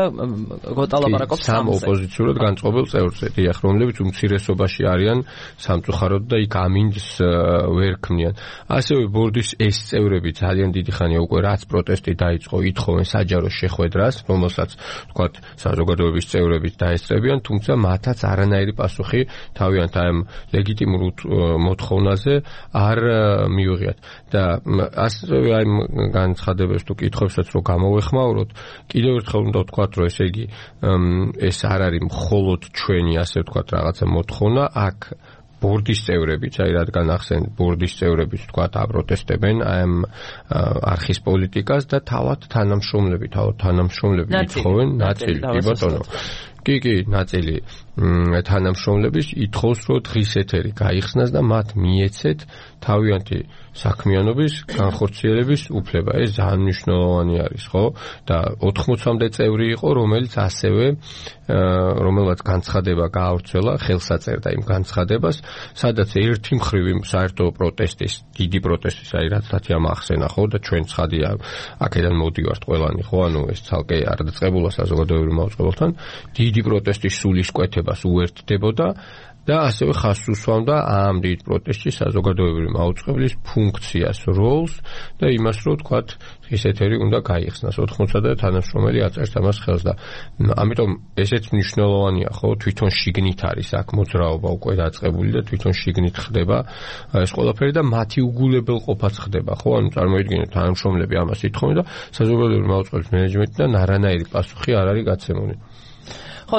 გოტალაპარაკობს სამ ოპოზიციურად განწყობილ წევრზე დიახ რომლებიც უმცირესობაში არიან სამწუხაროდ და იქ ამინდს ვერ ქმნიან ასევე ბორდის ეს წევრები ძალიან დიდი ხანია უკვე რაც პროტესტი დაიწყო ითხოვენ საჯარო შეხვედრას რომელსაც თქვა საზოგადოების წევრები დაესწრებიან თუმცა მათაც არანაირი პასუხი თავიანთ ამ ლეგიტიმურ მოთხოვნაზე არ მიუღიათ და ასევე აი განცხადებებს თუ კითხვებსაც რო გამოვეხმაუროთ კიდევ ერთხელ უნდა ვთქვათ რომ ესე იგი ეს არ არის მხოლოდ ჩვენი ასე ვთქვათ რაღაცა მოთხოვნა აქ ბორდის წევრებიც, აი რადგან ახსენეთ ბორდის წევრებიც თქვათ აპროტესტებენ ამ არხის პოლიტიკას და თავად თანამშრომლები, თავად თანამშრომლები ითხოვენ ნაწილი, კი ბატონო. კი, კი, ნაწილი თანამშრომლების ითხოვს, რომ დღის ეთერი გაიხსნას და მათ მიეცეთ თავიანთი საქმიანობის განხორციელების უფლება. ეს ძალიან მნიშვნელოვანი არის, ხო? და ოთხმოცამდე წევრი იყო, რომელიც ასევე რომელმაც განცხადება გაავრცელა, ხელს აწერდა იმ განცხადებას, სადაც ერთი მხრივ იმ საერთო პროტესტის, დიდი პროტესტის, აი რაც თათიამ ახსენა, ხო, და ჩვენ ცხადია, აქედან მოდივართ ყველანი, ხო, ანუ ეს ცალკე არ დაწყებულა საზოგადოებრივ მაუწყებელთან, დიდი პროტესტის სულისკვეთებას უერთდებოდა და ასევე ხაზს უსვამდა ამ დიდ პროტესტში საზოგადოებრივი მაუწყებლის ფუნქციას, როლს და იმას, რომ თქვათ, დღის ეთერი უნდა გაიხსნას. ოთხმოცამდე თანამშრომელი აწერს ამას ხელს და ამიტომ ესეც მნიშვნელოვანია, ხო, თვითონ შიგნით არის აქ მოძრაობა უკვე დაწყებული და თვითონ შიგნით ხდება ეს ყველაფერი და მათი უგულებელყოფაც ხდება, ხო, ანუ წარმოიდგინეთ თანამშრომლები ამას ითხოვენ და საზოგადოებრივი მაუწყებლის მენეჯმენტიდან არანაირი პასუხი არ არის გაცემული. ხო,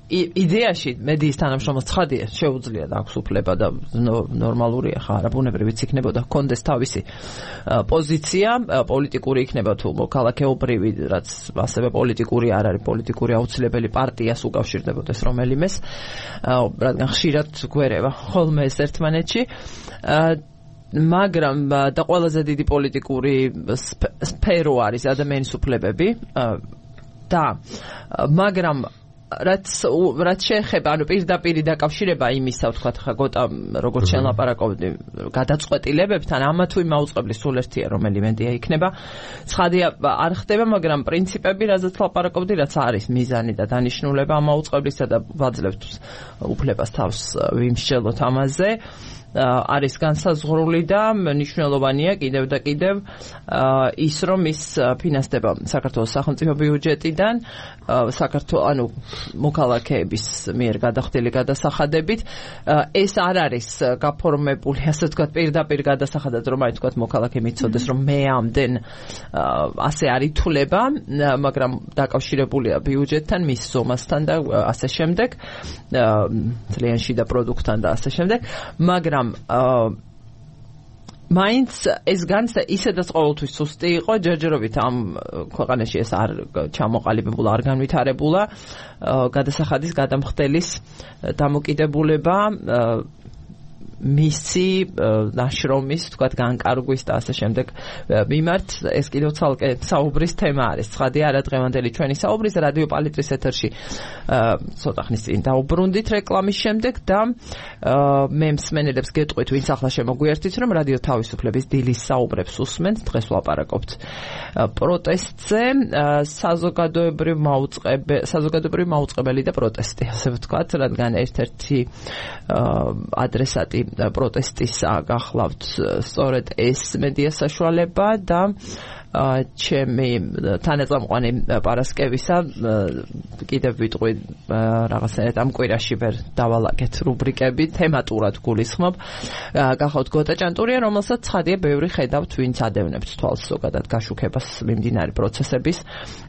იდეაში მედიის თანამშრომელს ცხადია შეუძლია და აქვს უფლება და ნორმალურია ხა არაბუნებრივიც იქნებოდა ჰქონდეს თავისი პოზიცია პოლიტიკური იქნება თუ მოქალაქეობრივი რაც ასევე პოლიტიკური არ არის პოლიტიკური აუცილებელი პარტიას უკავშირდებოდეს რომელიმეს რადგან ხშირად გვერევა ხოლმე ეს ერთმანეთში მაგრამ და ყველაზე დიდი პოლიტიკური სფერო არის ადამიანის უფლებები და მაგრამ რაც რაც შეეხება ანუ პირდაპირ დაკავშირება იმისა ვთქვათ ხა გოტა როგორც შელაპარაკობდი გადაწყვეტილებებთან ამა თუ იმ აუწყებლის სულ ერთია რომელი მედია იქნება ცხადია არ ხდება მაგრამ პრინციპები რაზეც ლაპარაკობდი რაც არის მიზანი და დანიშნულება ამ აუწყებლისა და ვაძლევთ უფლებას თავს ვიმსჯელოთ ამაზე არის განსაზღვრული და მნიშვნელოვანია კიდევ და კიდევ ის რომ ის ფინანსდება საქართველოს სახელმწიფო ბიუჯეტიდან საქართველოს ანუ მოქალაქეების მიერ გადახდილი გადასახადებით ეს არ არის გაფორმებული ასე ვთქვათ პირდაპირ გადასახადად რომ აი ვთქვათ მოქალაქე მიცოდეს რომ მე ამდენ ასე არ ითვლება მაგრამ დაკავშირებულია ბიუჯეტთან მის ზომასთან და ასე შემდეგ ძალიან შიდა პროდუქტთან და ასე შემდეგ მაგრამ მაინც ეს განცდა ისედაც ყოველთვის სუსტი იყო ჯერჯერობით ამ ქვეყანაში ეს არ ჩამოყალიბებულა არ განვითარებულა გადასახადის გადამხდელის დამოკიდებულება მისი ნაშრომის თქვათ განკარგვის და ასე შემდეგ მიმართ ეს კიდევ ცალკე საუბრის თემა არის ცხადია არა დღევანდელი ჩვენი საუბრის რადიო პალიტრის ეთერში ცოტა ხნის წინ დაუბრუნდით რეკლამის შემდეგ და მე მსმენელებს გეტყვით ვინც ახლა შემოგვიერთით რომ რადიო თავისუფლების დილის საუბრებს უსმენთ დღეს ვლაპარაკობთ პროტესტზე საზოგადოებრივ მაუწყებელი საზოგადოებრივ მაუწყებელი და პროტესტი ასე ვთქვათ რადგან ერთ-ერთი ადრესატი პროტესტისა გახლავთ სწორედ ეს მედია საშუალება და ჩემი თანაწამყვანი პარასკევისა კიდევ ვიტყვი რაღაცნაირად ამ კვირაში ვერ დავალაგეთ რუბრიკები თემატურად გულისხმობ გახავთ გოტა ჭანტურია რომელსაც ცხადია ბევრი ხედავთ ვინც ადევნებთ თვალს ზოგადად გაშუქებას მიმდინარე პროცესების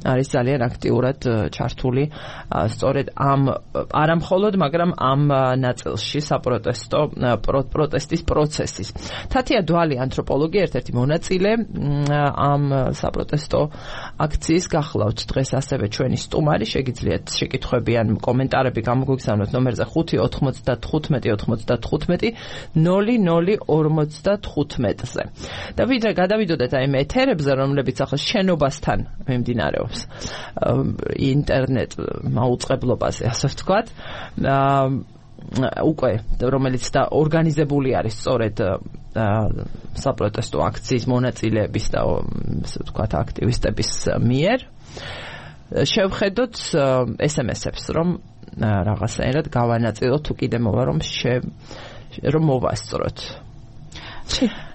არის ძალიან აქტიურად ჩართული სწორედ ამ არამხოლოდ მაგრამ ამ ნაწილში საპროტესტო პროტესტის პროცესის თათია დვალი ანთროპოლოგი ერთ-ერთი მონაწილე ამ საპროტესტო აქციის გახლავთ დღეს ასევე ჩვენი სტუმარი შეგიძლიათ შეკითხვები ან კომენტარები გამოგვიგზავნოთ ნომერზე ხუთი ოთხმოცდათხუთმეტი ოთხმოცდათხუთმეტი ნული ნული ორმოცდათხუთმეტზე და ვიდრე გადავიდოდეთ აი ეთერებზე რომლებიც ახლა შენობასთან მიმდინარეობს ინტერნეტ მაუწყებლობაზე ასე ვთქვათ უკვე რომელიც და ორგანიზებული არის სწორედ საპროტესტო აქციის მონაწილეების და ასე ვთქვათ აქტივისტების მიერ შევხედოთ ეს ემ ესებს რომ რაღაცნაირად გავანაწილოთ თუ კიდე მოვა რომ რომ მოვასწროთ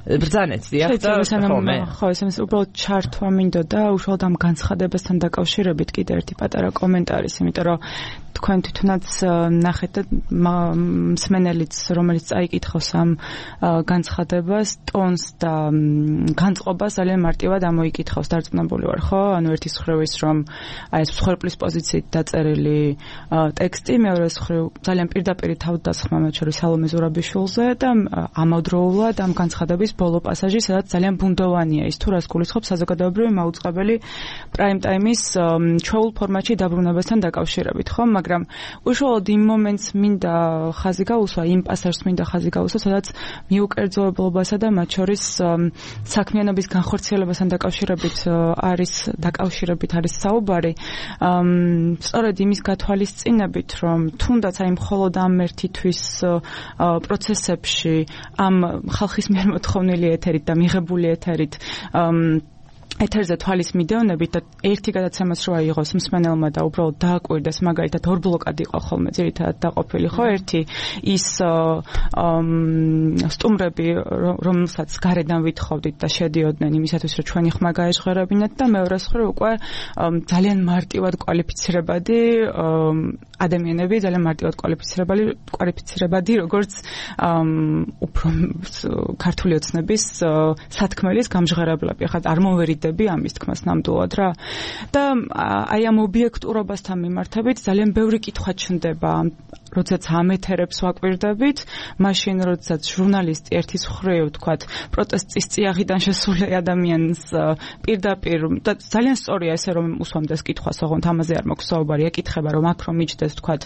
ბრძანეთ დიახ და ხოლმე ხო ეს ეს უბრალოდ ჩართვა მინდოდა უშუალოდ ამ განცხადებასთან დაკავშირებით კიდე ერთი პატარა კომენტარის იმიტომ რომ თქვენ თვითონაც ნახეთ და მსმენელიც რომელიც წაიკითხავს ამ განცხადებას ტონს და განწყობას ძალიან მარტივად ამოიკითხავს დარწმუნებული ვარ ხო ანუ ერთის მხრივ ის რომ აი ეს მსხვერპლის პოზიციით დაწერილი ტექსტი მეორეს მხრივ ძალიან პირდაპირი თავდასხმა მათ შორის სალომე ზურაბიშვილზე და ამავდროულად ამ განცხადების ბოლო პასაჟი სადაც ძალიან ბუნდოვანია ის თუ რას გულისხმობს საზოგადოებრივი მაუწყებელი პრაიმ ტაიმის ჩვეულ ფორმატში დაბრუნებასთან დაკავშირებით ხო მაგრამ უშუალოდ იმ მომენტს მინდა ხაზი გაუსვა იმ პასაჟს მინდა ხაზი გაუსვა სადაც მიუკერძოებულობასა და მათ შორის საქმიანობის განხორციელებასთან დაკავშირებით არის დაკავშირებით არის საუბარი სწორედ იმის გათვალისწინებით რომ თუნდაც აი მხოლოდ ამ ერთითვის პროცესებში ამ ხალხის მიერ მოთხოვნილი ეთერით და მიღებული ეთერით ეთერზე თვალის მიდევნებით და ერთი გადაცემაც რო აიღოს მსმენელმა და უბრალოდ დააკვირდეს მაგალითად ორ ბლოკად იყო ხოლმე ძირითადად დაყოფილი ხო ერთი ის სტუმრები რომელსაც გარედან ვითხოვდით და შედიოდნენ იმისათვის რომ ჩვენი ხმა გაეჟღერებინათ და მეორეს მხრივ უკვე ძალიან მარტივად კვალიფიცირებადი ადამიანები ძალიან მარტივად კვალიფიცირებადი კვალიფიცირებადი როგორც უფრო ქართული ოცნების სათქმელის გამჟღერებლები ხა არ მოვერიდ ამის თქმას ნამდვილად რა და აი ამ ობიექტურობასთან მიმართებით ძალიან ბევრი კითხვა ჩნდება როდესაც ამ ეთერებს ვაკვირდებით მაშინ როდესაც ჟურნალისტი ერთის მხრივ თქვათ პროტესტის წიაღიდან შესული ადამიანს პირდაპირ და ძალიან სწორია ესე რომ უსვამდეს კითხვას ოღონდ ამაზე არ მაქვს საუბარი ეკითხება რომ აქ რომ მიჯდეს თქვათ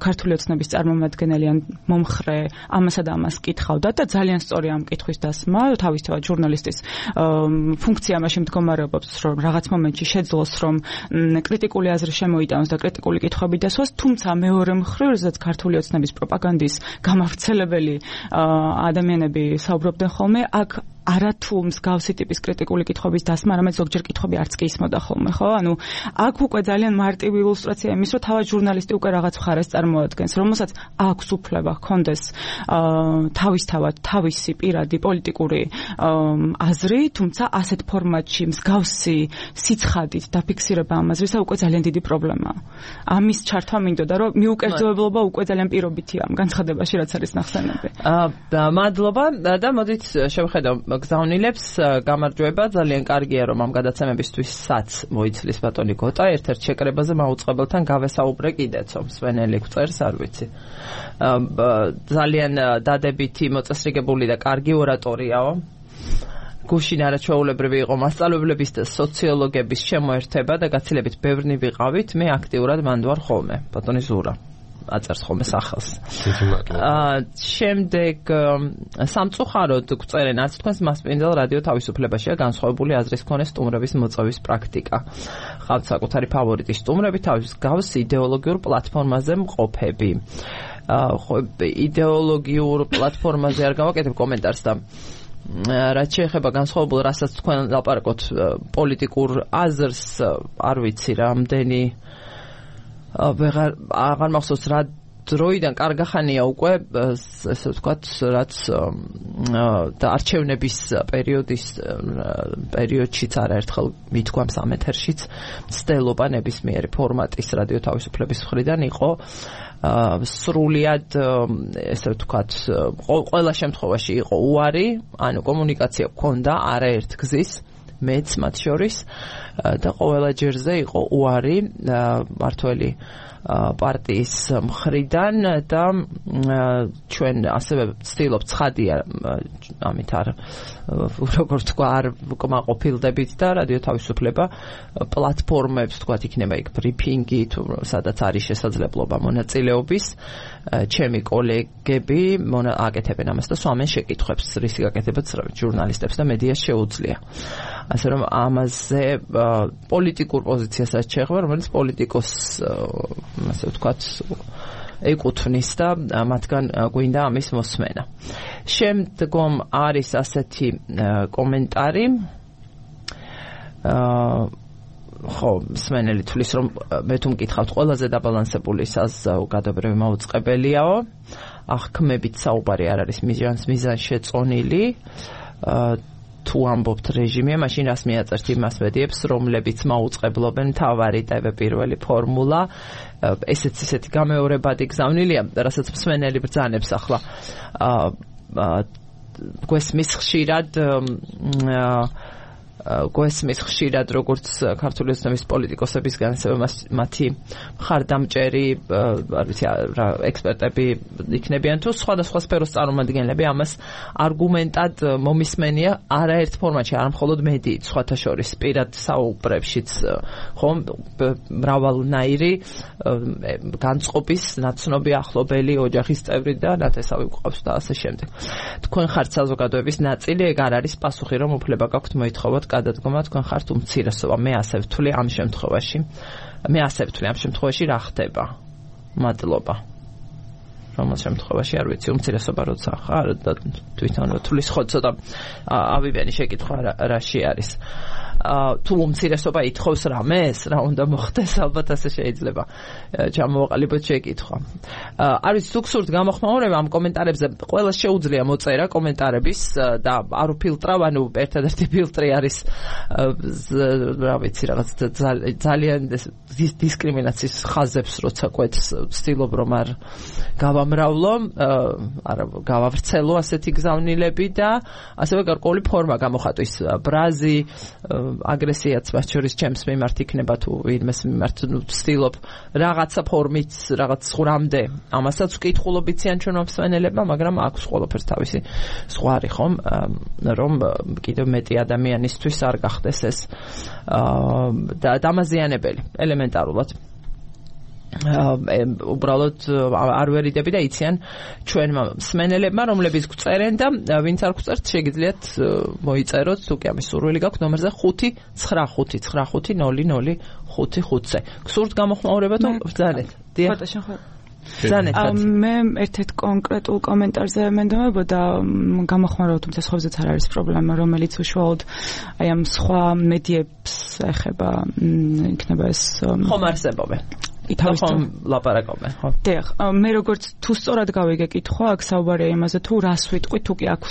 ქართული ოცნების წარმომადგენელი ან მომხრე ამასა და ამას კითხავდა და ძალიან სწორია ამ კითხვის დასმა თავისთავად ჟურნალისტის ფუნქცია მაშინ მდგომარეობს რომ რაღაც მომენტში შეძლოს რომ კრიტიკული აზრი შემოიტანოს და კრიტიკული კითხვები დასვას თუმცა მეორე მხრივ როდესაც ქართული ოცნების პროპაგანდის გამავრცელებელი ადამიანები საუბრობდნენ ხოლმე აქ არათუ მსგავსი ტიპის კრიტიკული კითხვების დასმა, არამედ ზოგჯერ კითხვები არც კი ისმოდა ხოლმე, ხო? ანუ აქ უკვე ძალიან მარტივი ილუსტრაცია იმის, რომ თავად ჟურნალისტი უკვე რაღაც მხარეს წარმოადგენს, რომელსაც აქვს უფლება ჰქონდეს თავისთავად თავისი პირადი პოლიტიკური აზრი, თუმცა ასეთ ფორმატში მსგავსი სიცხადით დაფიქსირება ამ აზრისა უკვე ძალიან დიდი პრობლემაა. ამის ჩართვა მინდოდა, რომ მიუკერძოებლობა უკვე ძალიან პირობითია ამ განცხადებაში, რაც არის ნახსენები. აა მადლობა და მოდით შევხედავ გზავნილებს გამარჯვება ძალიან კარგია რომ ამ გადაცემებისთვისაც მოიცლის ბატონი გოტა ერთ-ერთ შეკრებაზე მაუწყებელთან გავესაუბრე კიდეცო მსვენელი გვწერს არ ვიცი ძალიან დადებითი მოწესრიგებული და კარგი ორატორიაო გუშინ არაჩვეულებრივი იყო მასწავლებლების და სოციოლოგების შემოერთება და გაცილებით ბევრნი ვიყავით მე აქტიურად მანდ ვარ ხოლმე ბატონი ზურა აწერს ხოლმე სახელს. აა შემდეგ სამწუხაროდ გვწერენ არც თქვენს მასპინძელ რადიო თავისუფლებაშია განსხვავებული აზრის მქონე სტუმრების მოწვევის პრაქტიკა. ხავთ საკუთარი ფავორიტი სტუმრები თავის გავს იდეოლოგიურ პლატფორმაზე მყოფები. აა ხო იდეოლოგიურ პლატფორმაზე არ გავაკეთებ კომენტარს და რაც შეეხება განსხვავებულ რასაც თქვენ ლაპარაკობთ პოლიტიკურ აზრს არ ვიცი რამდენი აღარ აღარ მახსოვს რა დროიდან კარგახანია უკვე ესე ვთქვათ რაც და არჩევნების პერიოდის პერიოდშიც არაერთხელ მithქვამ სამეთერშიც მცდელობა ნებისმიერი ფორმატის რადიო თავისუფლების მხრიდან იყო სრულიად ესე ვთქვათ ყველა შემთხვევაში იყო უარი ანუ კომუნიკაცია გქონდა არაერთ გზის მეც მათ შორის და ყველა ჯერზე იყო უარი მართველი პარტიის მხრიდან და ჩვენ ასევე ვცდილობთ ცხადია ამით არ როგორ თქვა არ კმაყოფილდებით და რადიო თავისუფლება პლატფორმებს თქვათ იქნება იქ ბრიფინგი თუ სადაც არის შესაძლებლობა მონაწილეობის ჩემი კოლეგები აკეთებენ ამას და სვამენ შეკითხვებს რისი გაკეთებაც ჟურნალისტებს და მედიას შეუძლია ასე რომ ამაზე პოლიტიკურ პოზიციასაც შეეხება რომელიც პოლიტიკოს ასე ვთქვათ ეკუთვნის და მათგან გვინდა ამის მოსმენა. შემდგომ არის ასეთი კომენტარი აა ხო მსმენელი თulis რომ მე თუ მკითხავთ ყველაზე დაბალანსებული საზოგადოებრივი მაუწყებელიაო აღქმებით საუბარი არ არის მიზანს მიზანს შეწონილი აა თუ ამბობთ რეჟიმია, მაშინ რას მიაწერთ იმას მედიებს, რომლებიც მაუწყებლობენ მთავარი ტევ პირველი ფორმულა, ესეც ისეთი გამეორებადი გზავნილია, რასაც მსმენელი ბრძანებს ახლა. გვესმის ხშირად გვესმის ხშირად როგორც ქართული ოცნების პოლიტიკოსებისგან, ასევე მათი მხარდამჭერი, არ ვიცი რა ექსპერტები იქნებიან თუ სხვადასხვა სფეროს წარმომადგენლები ამას არგუმენტად მომისმენია არაერთ ფორმატში, არა მხოლოდ მედიით, სხვათა შორის პირად საუბრებშიც ხომ მრავალნაირი განწყობის ნაცნობი ახლობელი ოჯახის წევრი და ნათესავი გვყავს და ასე შემდეგ. თქვენ ხართ საზოგადოების ნაწილი, ეგ არ არის პასუხი, რომ უფლება გაქვთ მოითხოვოთ გადადგომა, თქვენ ხართ უმცირესობა. მე ასე ვთვლი ამ შემთხვევაში. მე ასე ვთვლი ამ შემთხვევაში რა ხდება? მადლობა. რომელ შემთხვევაში არ ვიცი, უმცირესობა როცა ხარ და თვითონ ვთვლის ხო ცოტა ავიბიანი შეკითხვა რაში არის. თუ უმცირესობა ითხოვს რამეს, რა უნდა მოხდეს, ალბათ ასე შეიძლება ჩამოვაყალიბოთ შეკითხვა. არ ვიცი, თუ გსურთ გამოხმაურება ამ კომენტარებზე, ყველა შეუძლია მოწერა კომენტარების და არ უფილტრავ, ანუ ერთადერთი ფილტრი არის რა ვიცი, რაღაც ძალიან დისკრიმინაციის ხაზებს როცა კვეთს, ვცდილობ რომ არ გავამრავლო, არა გავავრცელო ასეთი გზავნილები და ასევე გარკვეული ფორმა გამოხატვის. ბრაზი აგრესიაც მათ შორის ჩემს მიმართ იქნება თუ ვინმეს მიმართ, ნუ ვცდილობ რაღაცა ფორმით, რაღაც ხრამდე ამასაც ვკითხულობ იციან ჩვენ მსმენელებმა, მაგრამ აქვს ყველაფერს თავისი ზღვარი ხომ, რომ კიდევ მეტი ადამიანისთვის არ გახდეს ეს და დამაზიანებელი ელემენტარულად. უბრალოდ არ ვერიდები და იციან ჩვენმა მსმენელებმა, რომლებიც გვწერენ და ვინც არ გვწერთ, შეგიძლიათ მოიწეროთ, თუ კი ამის სურვილი გაქვთ, ნომერზე ხუთი ცხრა ხუთი ცხრა ხუთი ნული ნული ხუთი ხუთზე. გსურთ გამოხმაურება თუ ბრძანეთ? დიახ. მე ერთ-ერთ კონკრეტულ კომენტარზე მენდობოდა გამოხმაურება, თუმცა სხვებზეც არ არის პრობლემა, რომელიც უშუალოდ აი ამ სხვა მედიებს ეხება, იქნება ეს ხომ არსებობენ. ითავისთან ლაპარაკობენ, ხო? დიახ, მე როგორც თუ სწორად გავიგე კითხვა, აქ საუბარია იმაზე, თუ რას ვიტყვი, თუ კი აქ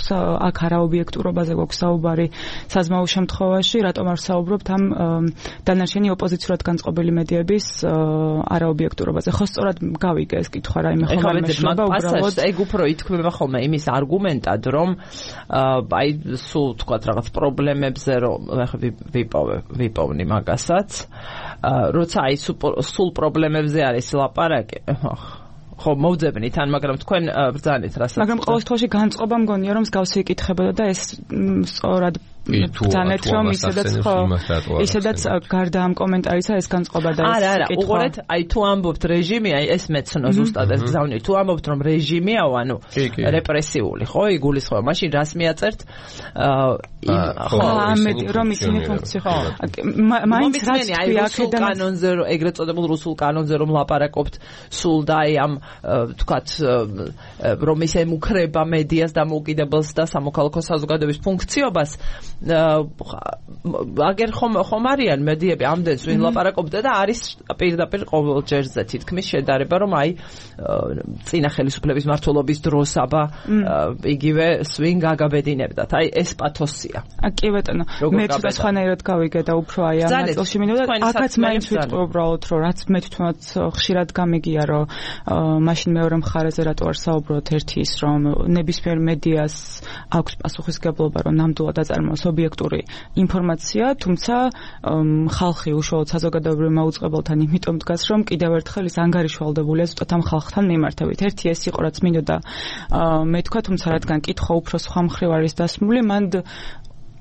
აქ არაობიექტურობაზე გვაქვს საუბარი საზმაო შემთხვევაში, რატომ არ საუბრობთ ამ დანარჩენი ოპოზიციურად განწყობილი მედიების არაობიექტურობაზე. ხო, სწორად გავიგე ეს კითხვა, რაიმე ხომ მეშობა უბრალოდ ეგ უფრო ითქმება ხოლმე იმის არგუმენტად, რომ აი სულ თქვათ რაღაც პრობლემებზე რომ ვიპოვე, ვიპოვნი მაგასაც, როცა აი სულ პრობლემებზე არის ლაპარაკი, ხო მოვძებნით ან მაგრამ თქვენ ბრძანეთ რასაც. მაგრამ ყოველ შემთხვევაში განწყობა მგონია რომ მსგავსი იკითხებოდა და ეს სწორად ბრძანეთ რომ ისედაც ხო ისედაც გარდა ამ კომენტარისა ეს განწყობა და ეს არა არა უყურეთ აი თუ ამბობთ რეჟიმი აი ეს მეცნო ზუსტად ეს გზავნილი თუ ამბობთ რომ რეჟიმიაო ანუ რეპრესიული ხო იგულისხმება მაშინ რას მიაწერთ ხო ამეთი რომ ისინი ფუნქცია ხო მაინც რაც თქვი აქედან კანონზე ეგრეთ წოდებულ რუსულ კანონზე რომ ლაპარაკობთ სულ და აი ამ თქვათ რომ ის ემუქრება მედიას დამოუკიდებელს და სამოქალაქო საზოგადოების ფუნქციობას აგერ ხომ ხომ არიან მედიები ამდენს ვინ ლაპარაკობდა და არის პირდაპირ ყოველ ჯერზე თითქმის შედარება რომ აი წინა ხელისუფლების მმართველობის დროს აბა იგივე სვინ გაგაბედინებდათ აი ეს პათოსია კი ბატონო მე ცოტა სხვანაირად გავიგე და უფრო აი ამ ნაწილში მინდოდა აქაც მაინც ვიტყვი უბრალოდ რომ რაც მე თვითონაც ხშირად გამიგია რომ მაშინ მეორე მხარეზე რატო არ საუბრობთ ერთი ის რომ ნებისმიერ მედიას აქვს პასუხისგებლობა რომ ნამდვილად აწარმოოს ობიექტური ინფორმაცია, თუმცა ხალხი უშუალოდ საზოგადოებრივ მაუწყებელთან იმიტომ დგას, რომ კიდევ ერთხელ ის ანგარიშვალდებულია ზუსტად ამ ხალხთან მიმართებით. ერთი ეს იყო, რაც მინდოდა მე თქვა, თუმცა რადგან კითხვა უფრო სხვა მხრივ არის დასმული, მან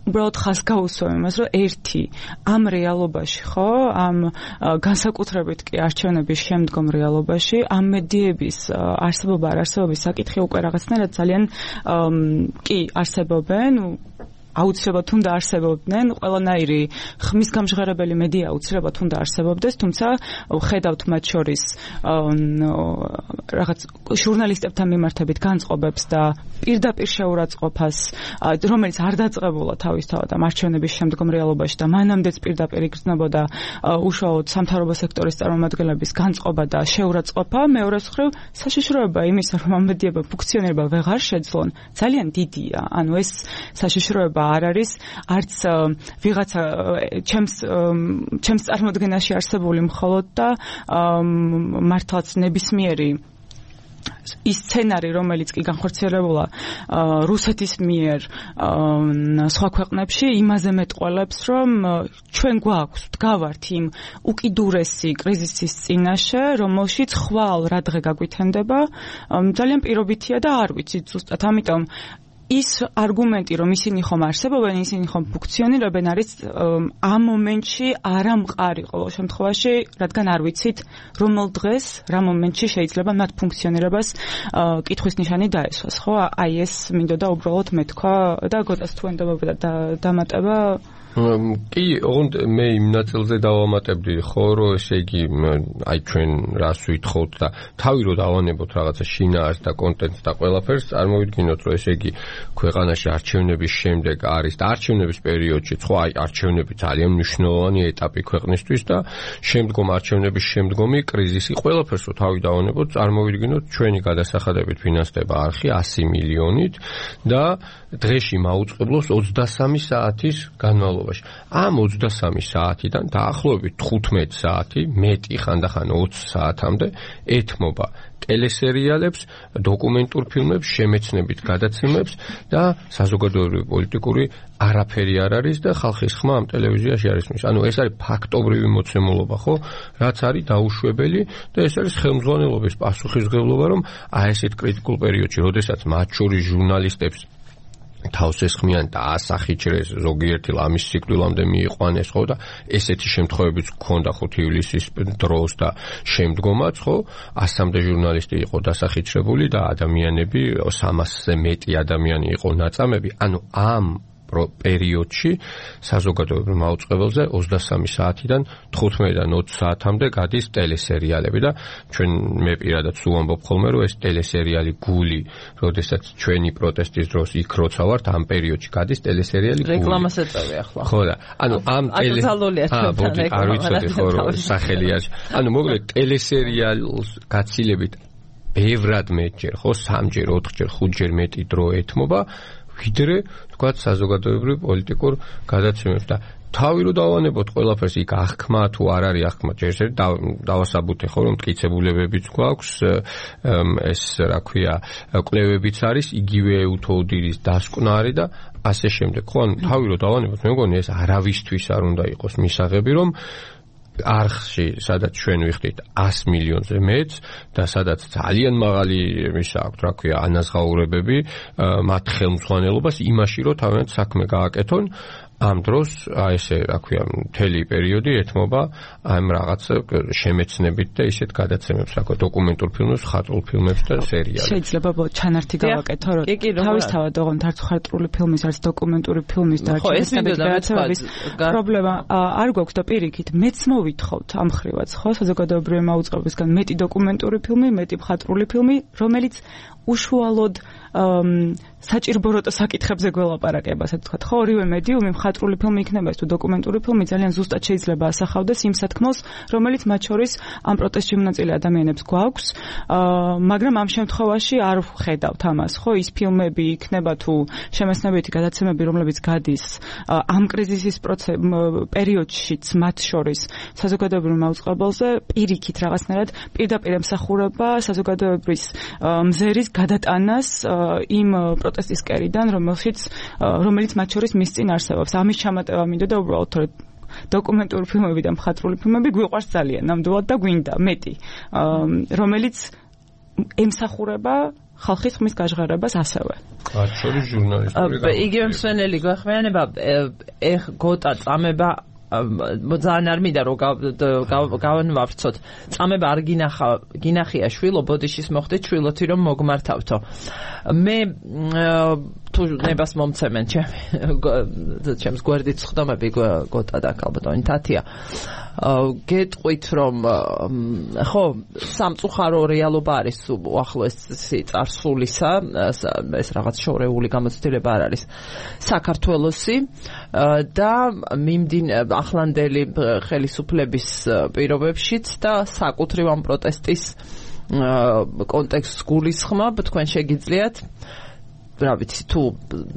უბრალოდ ხას გაუსვა იმას, რომ ერთი ამ რეალობაში, ხო, ამ განსაკუთრებით კი არჩევნების შემდგომ რეალობაში, ამ მედიების არსებობა არ არსებობის საკითხი უკვე რაღაცნაირად ძალიან კი არსებობენ, აუცილებლად თუნდა არსებობდნენ, ყველანაირი ხმის გამჟღერებელი მედია აუცილებლად თუნდა არსებობდეს, თუმცა ხედავთ მათ შორის რაღაც ჟურნალისტებთან მიმართებით განწყობებს და პირდაპირ შეურაცხყოფას, რომელიც არ დაწყებულა თავისთავად ამ არჩევნების შემდგომ რეალობაში და მანამდეც პირდაპირ იგრძნობოდა უშუალოდ სამთავრობო სექტორის წარმომადგენლების განწყობა და შეურაცხყოფა, მეორე მხრივ საშიშროება იმისა, რომ ამ მედიებმა ფუნქციონირება ვეღარ შეძლონ, ძალიან დიდია. ანუ ეს საშიშროება არ არის არც ვიღაცა ჩემს ჩემს წარმოდგენაში არსებული მხოლოდ და მართლაც ნებისმიერი ის სცენარი, რომელიც კი განხორციელებულა რუსეთის მიერ სხვა ქვეყნებში, იმაზე მეტყველებს, რომ ჩვენ გვაქვს, ვდგავართ იმ უკიდურესი კრიზისის წინაშე, რომელშიც ხვალ რა დღე გაგვითენდება, ძალიან პირობითია და არ ვიცით ზუსტად, ამიტომ ის არგუმენტი, რომ ისინი ხომ არსებობენ, ისინი ხომ ფუნქციონირებენ, არის ამ მომენტში არამყარი ყოველ შემთხვევაში, რადგან არ ვიცით, რომელ დღეს, რა მომენტში შეიძლება მათ ფუნქციონირებას კითხვის ნიშანი დაესვას, ხო? აი ეს მინდოდა უბრალოდ მეთქვა და გოწას თუ ენდობოდა დამატება კი, ოღონდ მე იმ ნაწილზე დავამატებდი, ხო, რომ ესე იგი, აი ჩვენ რას ვითხოვთ და თავი რო დავანებოთ რაღაცა შინაარს და კონტენტს და ყველაფერს, წარმოვიდგინოთ, რომ ესე იგი ქვეყანაში არჩევნების შემდეგ არის და არჩევნების პერიოდში, ხო, აი არჩევნები ძალიან მნიშვნელოვანი ეტაპი ქვეყნისთვის და შემდგომ არჩევნების შემდგომი კრიზისი, ყველაფერს რო თავი დავანებოთ, წარმოვიდგინოთ, ჩვენი გადასახადებით ფინანსდება არხი ასი მილიონით და დღეში მაუწყებლობს ოცდასამი საათის განმავლობაში. ამ ოცდასამი საათიდან დაახლოებით თხუთმეტი საათი, მეტი ხანდახან ოცი საათამდე ეთმობა ტელესერიალებს, დოკუმენტურ ფილმებს, შემეცნებით გადაცემებს და საზოგადოებრივი პოლიტიკური არაფერი არ არის და ხალხის ხმა ამ ტელევიზიაში არ ისმის. ანუ ეს არის ფაქტობრივი მოცემულობა, ხო? რაც არის დაუშვებელი და ეს არის ხელმძღვანელობის პასუხისმგებლობა, რომ აი ესეთ კრიტიკულ პერიოდში, როდესაც მათ შორის ჟურნალისტებს თავს ესხმიან და ასახიჭრეს ზოგიერთი ლამის სიკვდილამდე მიიყვანეს, ხო, და ესეთი შემთხვევებიც გქონდა ხუთი ივლისის დროს და შემდგომაც, ხო, ასამდე ჟურნალისტი იყო დასახიჭრებული და ადამიანები სამასზე მეტი ადამიანი იყო ნაწამები. ანუ ამ პერიოდში საზოგადოებრივ მაუწყებელზე ოცდასამი საათიდან თხუთმეტიდან ოცი საათამდე გადის ტელესერიალები და ჩვენ მე პირადად სულ ამბობ ხოლმე, რომ ეს ტელესერიალი გული, როდესაც ჩვენი პროტესტის დროს იქ როცა ვართ, ამ პერიოდში გადის ტელესერიალი გული. რეკლამას ეწევი ახლა. ხო და ანუ ამ ტელესერიალია ჩვენთან არ ვიცოდი ხო რომ სახელი არის. ანუ მოკლედ ტელესერიალს გაცილებით ბევრად მეტჯერ, ხო, სამჯერ, ოთხჯერ, ხუთჯერ მეტი დრო ეთმობა ვიდრე თქვათ საზოგადოებრივ პოლიტიკურ გადაცემებს და თავი რო დავანებოთ ყველაფერს იქ აღქმა თუ არ არის აღქმა ჯერ დავასაბუთე ხო რომ მტკიცებულებებიც გვაქვს ეს რა ქვია კვლევებიც არის იგივე უთოუდილის დასკვნა არის და ასე შემდეგ ხო ანუ თავი რო დავანებოთ მე მგონი ეს არავისთვის არ უნდა იყოს მისაღები რომ არხში, სადაც ჩვენ ვიხდით ასი მილიონზე მეც და სადაც ძალიან მაღალი ისა აქვს, რა ქვია, ანაზღაურებები, მათ ხელმძღვანელობას იმაში, რომ თავიანთ საქმე გააკეთონ, ამ დროს აი ესე, რა ქვია, მთელი პერიოდი ეთმობა ამ რაღაც შემეცნებით და ისეთ გადაცემებს, რა ქვია, დოკუმენტურ ფილმებს, ხატრულ ფილმებს და სერიალებს. შეიძლება ჩანართი გავაკეთო, რომ თავისთავად ოღონდ არც ხატრული ფილმის, არც დოკუმენტური ფილმის და გადაცემების პრობლემა არ გვაქვს და პირიქით, მეც მოვითხოვთ ამ ხრივაც, ხო, საზოგადოებრივი მაუწყებლებისგან მეტი დოკუმენტური ფილმი, მეტი ხატრული ფილმი, რომელიც უშუალოდ საჭირბოროტო საკითხებზე გველაპარაკება, ასე ვთქვათ, ხო, ორივე მედიუმი მხატვრული ფილმი იქნება თუ დოკუმენტური ფილმი ძალიან ზუსტად შეიძლება ასახავდეს იმ სათქმელს, რომელიც მათ შორის ამ პროტესტში მონაწილე ადამიანებს გვაქვს, მაგრამ ამ შემთხვევაში არ ვხედავთ ამას, ხო, ის ფილმები იქნება თუ შემეცნებითი გადაცემები, რომლებიც გადის ამ კრიზისის პერიოდშიც მათ შორის საზოგადოებრივ მაუწყებელზე პირიქით რაღაცნაირად პირდაპირ ემსახურება საზოგადოებრივ მზერის გადატანას იმ პროტესტის კერიდან, რომელშიც რომელიც მათ შორის მის წინ არსებობს. ამის ჩამატება მინდოდა უბრალოდ თორე დოკუმენტური ფილმები და მხატვრული ფილმები გვიყვარს ძალიან ნამდვილად და გვინდა მეტი, რომელიც ემსახურება ხალხის ხმის გაჟღერებას ასევე. მათ შორის ჟურნალისტური იგივე მსვენელი გვეხმიანება ეხ გოტა წამება ძალიან არ მინდა რომ გავანვავრცოთ. წამება არ გინახა გინახია შვილო ბოდიშის მოხდეთ შვილოთი რომ მოგმართავთო. მე თუ ნებას მომცემენ ჩემი ჩემს გვერდით ხდომები გოტა და ალბათ თათია. გეტყვით რომ ხო სამწუხარო რეალობა არის უახლოესი წარსულისა ეს რაღაც შორეული გამოცდილება არ არის საქართველოსი და მიმდინ ახლანდელი ხელისუფლების პირობებშიც და საკუთრივ ამ პროტესტის კონტექსტს გულისხმობ თქვენ შეგიძლიათ რა ვიცი, თუ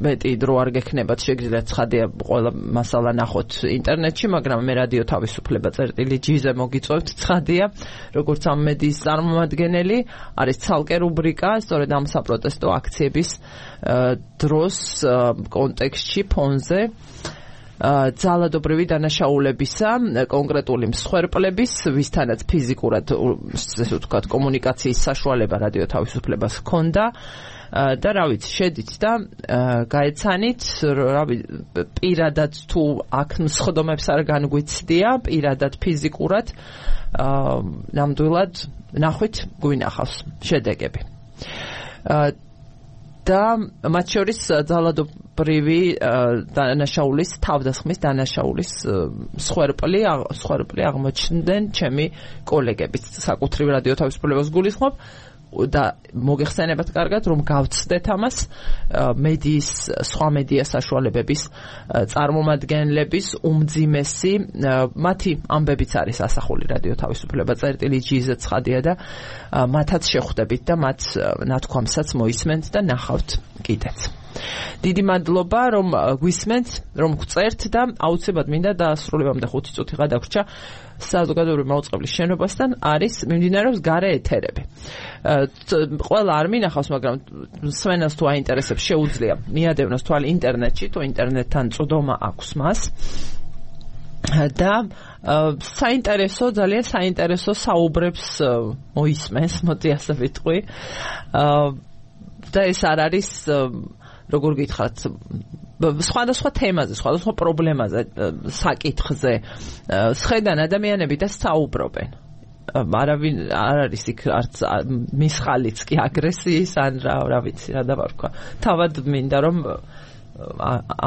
მეტი დრო არ გექნებათ, შეგიძლიათ ცხადია ყველა მასალა ნახოთ ინტერნეტში, მაგრამ მე რადიო თავისუფლება წერტილი ჯი-ზე მოგიწევთ, ცხადია, როგორც ამ მედიის წარმომადგენელი, არის ცალკე რუბრიკა, სწორედ ამ საპროტესტო აქციების დროს კონტექსტში, ფონზე ძალადობრივი დანაშაულებისა, კონკრეტული მსხვერპლების, ვისთანაც ფიზიკურად, ესე ვთქვათ, კომუნიკაციის საშუალება რადიო თავისუფლებას ჰქონდა და რა ვიცი, შედით და გაეცანით, რა ვიცი, პირადად თუ აქ მსხდომებს არ განგვიცდია, პირადად ფიზიკურად, ნამდვილად ნახვით გვინახავს შედეგები. და მათ შორის ძალადობრივი დანაშაულის, თავდასხმის დანაშაულის მსხვერპლი მსხვერპლი აღმოჩნდნენ ჩემი კოლეგებიც, საკუთრივ რადიო თავისუფლებას გულისხმობ და მოგეხსენებათ კარგად, რომ გავცდეთ ამას მედიის, სხვა მედია საშუალებების წარმომადგენლების უმძიმესი, მათი ამბებიც არის ასახული რადიო თავისუფლება წერტილი ჯი-ზე ცხადია და მათაც შეხვდებით და მათ ნათქვამსაც მოისმენთ და ნახავთ კიდეც. დიდი მადლობა, რომ გვისმენთ, რომ გწერთ და აუცილებლად მინდა დაასრულებამდე ხუთი წუთი გადაგვრჩა საზოგადოებრივი მაუწყებლის შენობასთან არის მიმდინარეობს გარე ეთერები. ყველა არ მინახავს, მაგრამ სვენას თუ აინტერესებს, შეუძლია მიადევნოს თვალი ინტერნეტში, თუ ინტერნეტთან წვდომა აქვს მას. და საინტერესო, ძალიან საინტერესო საუბრებს მოისმენს, მოდი ასე ვიტყვი. და ეს არ არის, როგორ გითხრათ, სხვადასხვა თემაზე, სხვადასხვა პრობლემაზე, საკითხზე სხედან ადამიანები და საუბრობენ. არავინ არ არის იქ არც მის ხალიც კი აგრესიის ან რა, რა ვიცი, რა დავარქვა. თავად მინდა რომ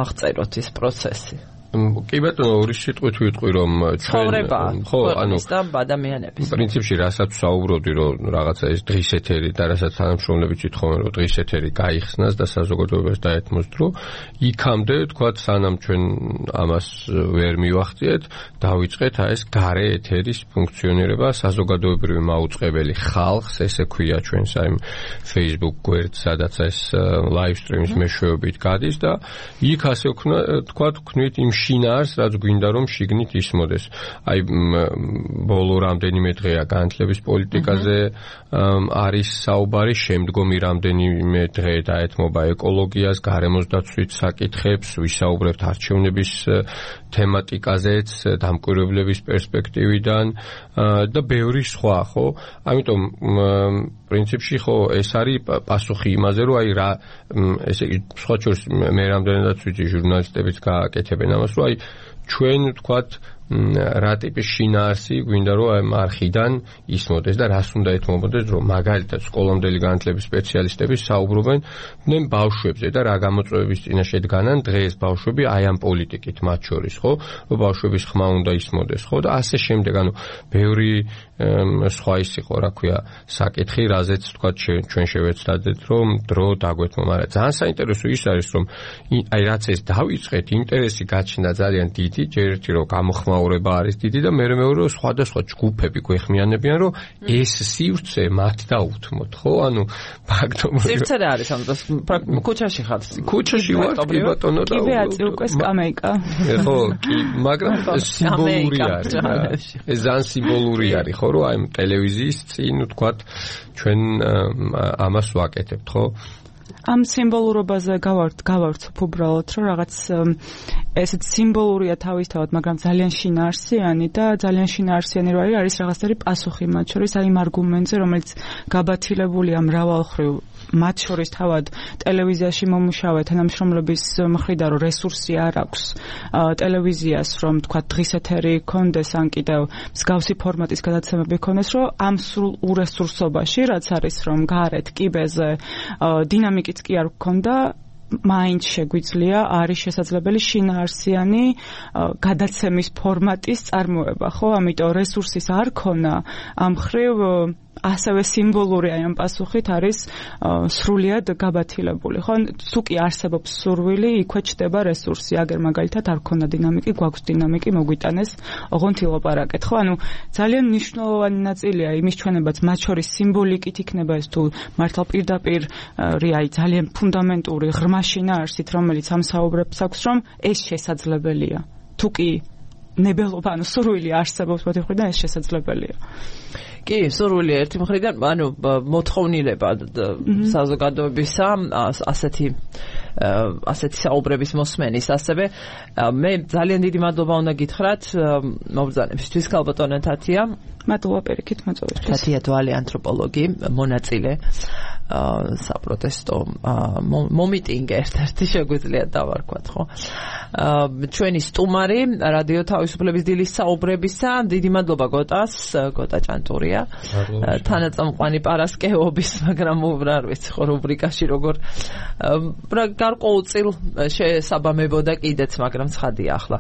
აღწეროთ ეს პროცესი. კი ბატონო, ორი სიტყვით ვიტყვი, რომ ჩვენ ხო, ანუ ადამიანების პრინციპში რასაც საუბრობდი, რომ რაღაცა ეს დღის ეთერი და რასაც თანამშრომლები ვითხოვენ, რომ დღის ეთერი გაიხსნას და საზოგადოებას დაეთმოს დრო, იქამდე თქვათ, სანამ ჩვენ ამას ვერ მივახციეთ, დავიწყეთ აი ეს გარე ეთერის ფუნქციონირება, საზოგადოებრივი მაუწყებელი ხალხს, ესე ქვია ჩვენს აი Facebook გვერდს, სადაც ეს live stream-ის მეშვეობით გადის და იქ ასე თქვათ, ვქნით იმ შინაარს, რაც გვინდა რომ შიგნით ისმოდეს. აი ბოლო რამდენიმე დღეა განათლების პოლიტიკაზე არის საუბარი, შემდგომი რამდენიმე დღე დაეთმობა ეკოლოგიას, გარემოს დაცვის საკითხებს, ვისაუბრებთ არჩევნების თემატიკაზეც, დამკვირვებლების პერსპექტივიდან და ბევრი სხვა, ხო? ამიტომ პრინციპში ხო ეს არის პასუხი იმაზე, რომ აი რა, ესე იგი, სხვა შორის მე რამდენადაც ვიცი, ჟურნალისტებიც გააკეთებენ ამას, რომ აი ჩვენ ვთქვათ რა ტიპის შინაარსი გვინდა რომ ამ არხიდან ისმოდეს და რას უნდა ეთმობოდეს, რომ მაგალითად სკოლამდელი განათლების სპეციალისტები საუბრობენ ნემ ბავშვებზე და რა გამოწვევების წინაშე დგანან დღეს ბავშვები აი ამ პოლიტიკით მათ შორის, ხო? რომ ბავშვების ხმა უნდა ისმოდეს, ხო? და ასე შემდეგ, ანუ ბევრი სხვა ის იყო, რა ქვია, საკითხი, რაზეც ვთქვათ ჩვენ შევეცდადეთ, რომ დრო დაგვეთმო, მაგრამ ძალიან საინტერესო ის არის, რომ აი რაც ეს დავიწყეთ, ინტერესი გაჩნდა ძალიან დიდი, ჯერ ერთი რომ გამოხმაურება არის დიდი და მე მეორე რომ სხვადასხვა ჯგუფები გვეხმიანებიან, რომ ეს სივრცე მათ დაუთმოთ, ხო? ანუ ფაქტობრივად სივრცე რა არის ამ დროს? ქუჩაში ხარ? ქუჩაში ვარ, კი ბატონო და კი ვეაწი უკვე სკამეიკა. ხო, კი, მაგრამ სიმბოლური არის. ეს ძალიან სიმბოლური არის, ხო, რომ აი ტელევიზიის წინ ვთქვათ ჩვენ ამას ვაკეთებთ, ხო? ამ სიმბოლურობაზე გავართ, გავარცობ უბრალოდ, რომ რაღაც ესეც სიმბოლურია თავისთავად, მაგრამ ძალიან შინაარსიანი და ძალიან შინაარსიანი რო არის, არის რაღაცნაირი პასუხი მათ შორის, აი იმ არგუმენტზე, რომელიც გაბათილებულია მრავალხრივ, მათ შორის თავად ტელევიზიაში მომუშავე თანამშრომლების მხრიდან, რომ რესურსი არ აქვს ტელევიზიას, რომ თქვა დღის ეთერი კონდეს, ან კიდევ მსგავსი ფორმატის გადაცემები კონდეს, რომ ამ სრულ ურესურსობაში, რაც არის, რომ გარეთ კიბეზე დინამიკიც კი არ გქონდა, მაინც შეგვიძლია არის შესაძლებელი შინაარსიანი გადაცემის ფორმატის წარმოება, ხო? ამიტომ რესურსის არ ქონა ამ ხრივ ასევე სიმბოლური აი ამ პასუხით არის სრულიად გაბათილებული. ხო, თუ კი არსებობს სურვილი, იქვე ჩდება რესურსი, აგერ მაგალითად არ ქონდა დინამიკი, გვაქვს დინამიკი, მოგვიტანეს ოღონდ ილაპარაკეთ. ხო, ანუ ძალიან მნიშვნელოვანი ნაწილია იმის ჩვენებაც, მათ შორის სიმბოლიკით იქნება ეს თუ მართლა პირდაპირ აი ძალიან ფუნდამენტური ღრმა შინაარსით, რომელიც ამ საუბრებს აქვს, რომ ეს შესაძლებელია. თუ კი ნებელობა, ანუ სურვილი არსებობს მოდი ხვიდან ეს შესაძლებელია. კი, სურვილი ერთი მხრიდან, ანუ მოთხოვნილება საზოგადოებისა, ასეთი ასეთი საუბრების მოსმენის, ასევე მე ძალიან დიდი მადლობა უნდა გითხრათ მობრძანებისთვის, ქალბატონო თათია. მადლობა პირიქით მოწვევისთვის. თათია დვალი, ანთროპოლოგი, მონაწილე საპროტესტო მომიტინგ ერთ-ერთი შეგვიძლია დავარქვათ, ხო? ჩვენი სტუმარი რადიო თავისუფლების დილის საუბრებისა, დიდი მადლობა გოტას, გოტა ჭანტურია. თანაწამყვანი პარასკევობის, მაგრამ არ ვიცი ხო რუბრიკაში როგორ გარკვეულწილ შესაბამებოდა კიდეც, მაგრამ ცხადია ახლა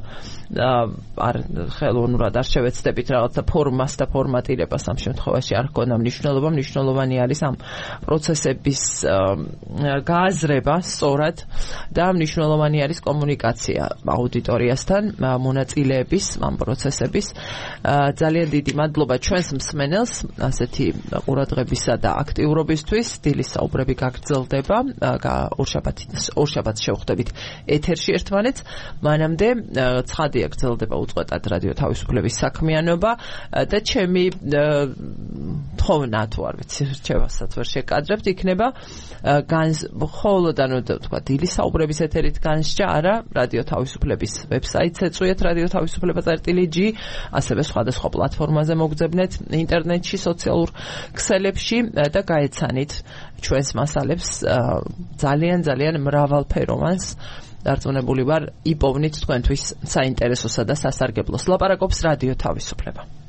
არ ხელოვნურად არ შევეცდებით რაღაცა ფორმას და ფორმატირებას ამ შემთხვევაში არ ქონდა მნიშვნელობა, მნიშვნელოვანი არის ამ პროცესების გააზრება სწორად და მნიშვნელოვანი არის კომუნიკაცია აუდიტორიასთან, მონაწილეების ამ პროცესების. ძალიან დიდი მადლობა ჩვენს მსმენელს ასეთი ყურადღებისა და აქტიურობისთვის. დილის საუბრები გაგრძელდება, ორშაბათს ორშაბათს შევხვდებით ეთერში ერთმანეთს. მანამდე ცხადია გრძელდება უწყვეტად რადიო თავისუფლების საქმიანობა და ჩემი თხოვნა თუ არ ვიცი რჩევასაც ვერ შეკადრებთ, იქნება მხოლოდ ანუ თქვა დილის საუბრების ეთერით განსჯა, არა რადიო თავისუფლების ვებსაიტს ეწვიეთ რადიო თავისუფლება წერტილი ჯი, ასევე სხვადასხვა პლატფორმაზე მოგძებნეთ ინტერნეტში, სოციალურ ქსელებში და გაეცანით ჩვენს მასალებს ძალიან ძალიან მრავალფეროვანს. დარწმუნებული ვარ, იპოვნით თქვენთვის საინტერესოსა და სასარგებლოს. ლაპარაკობს რადიო თავისუფლება.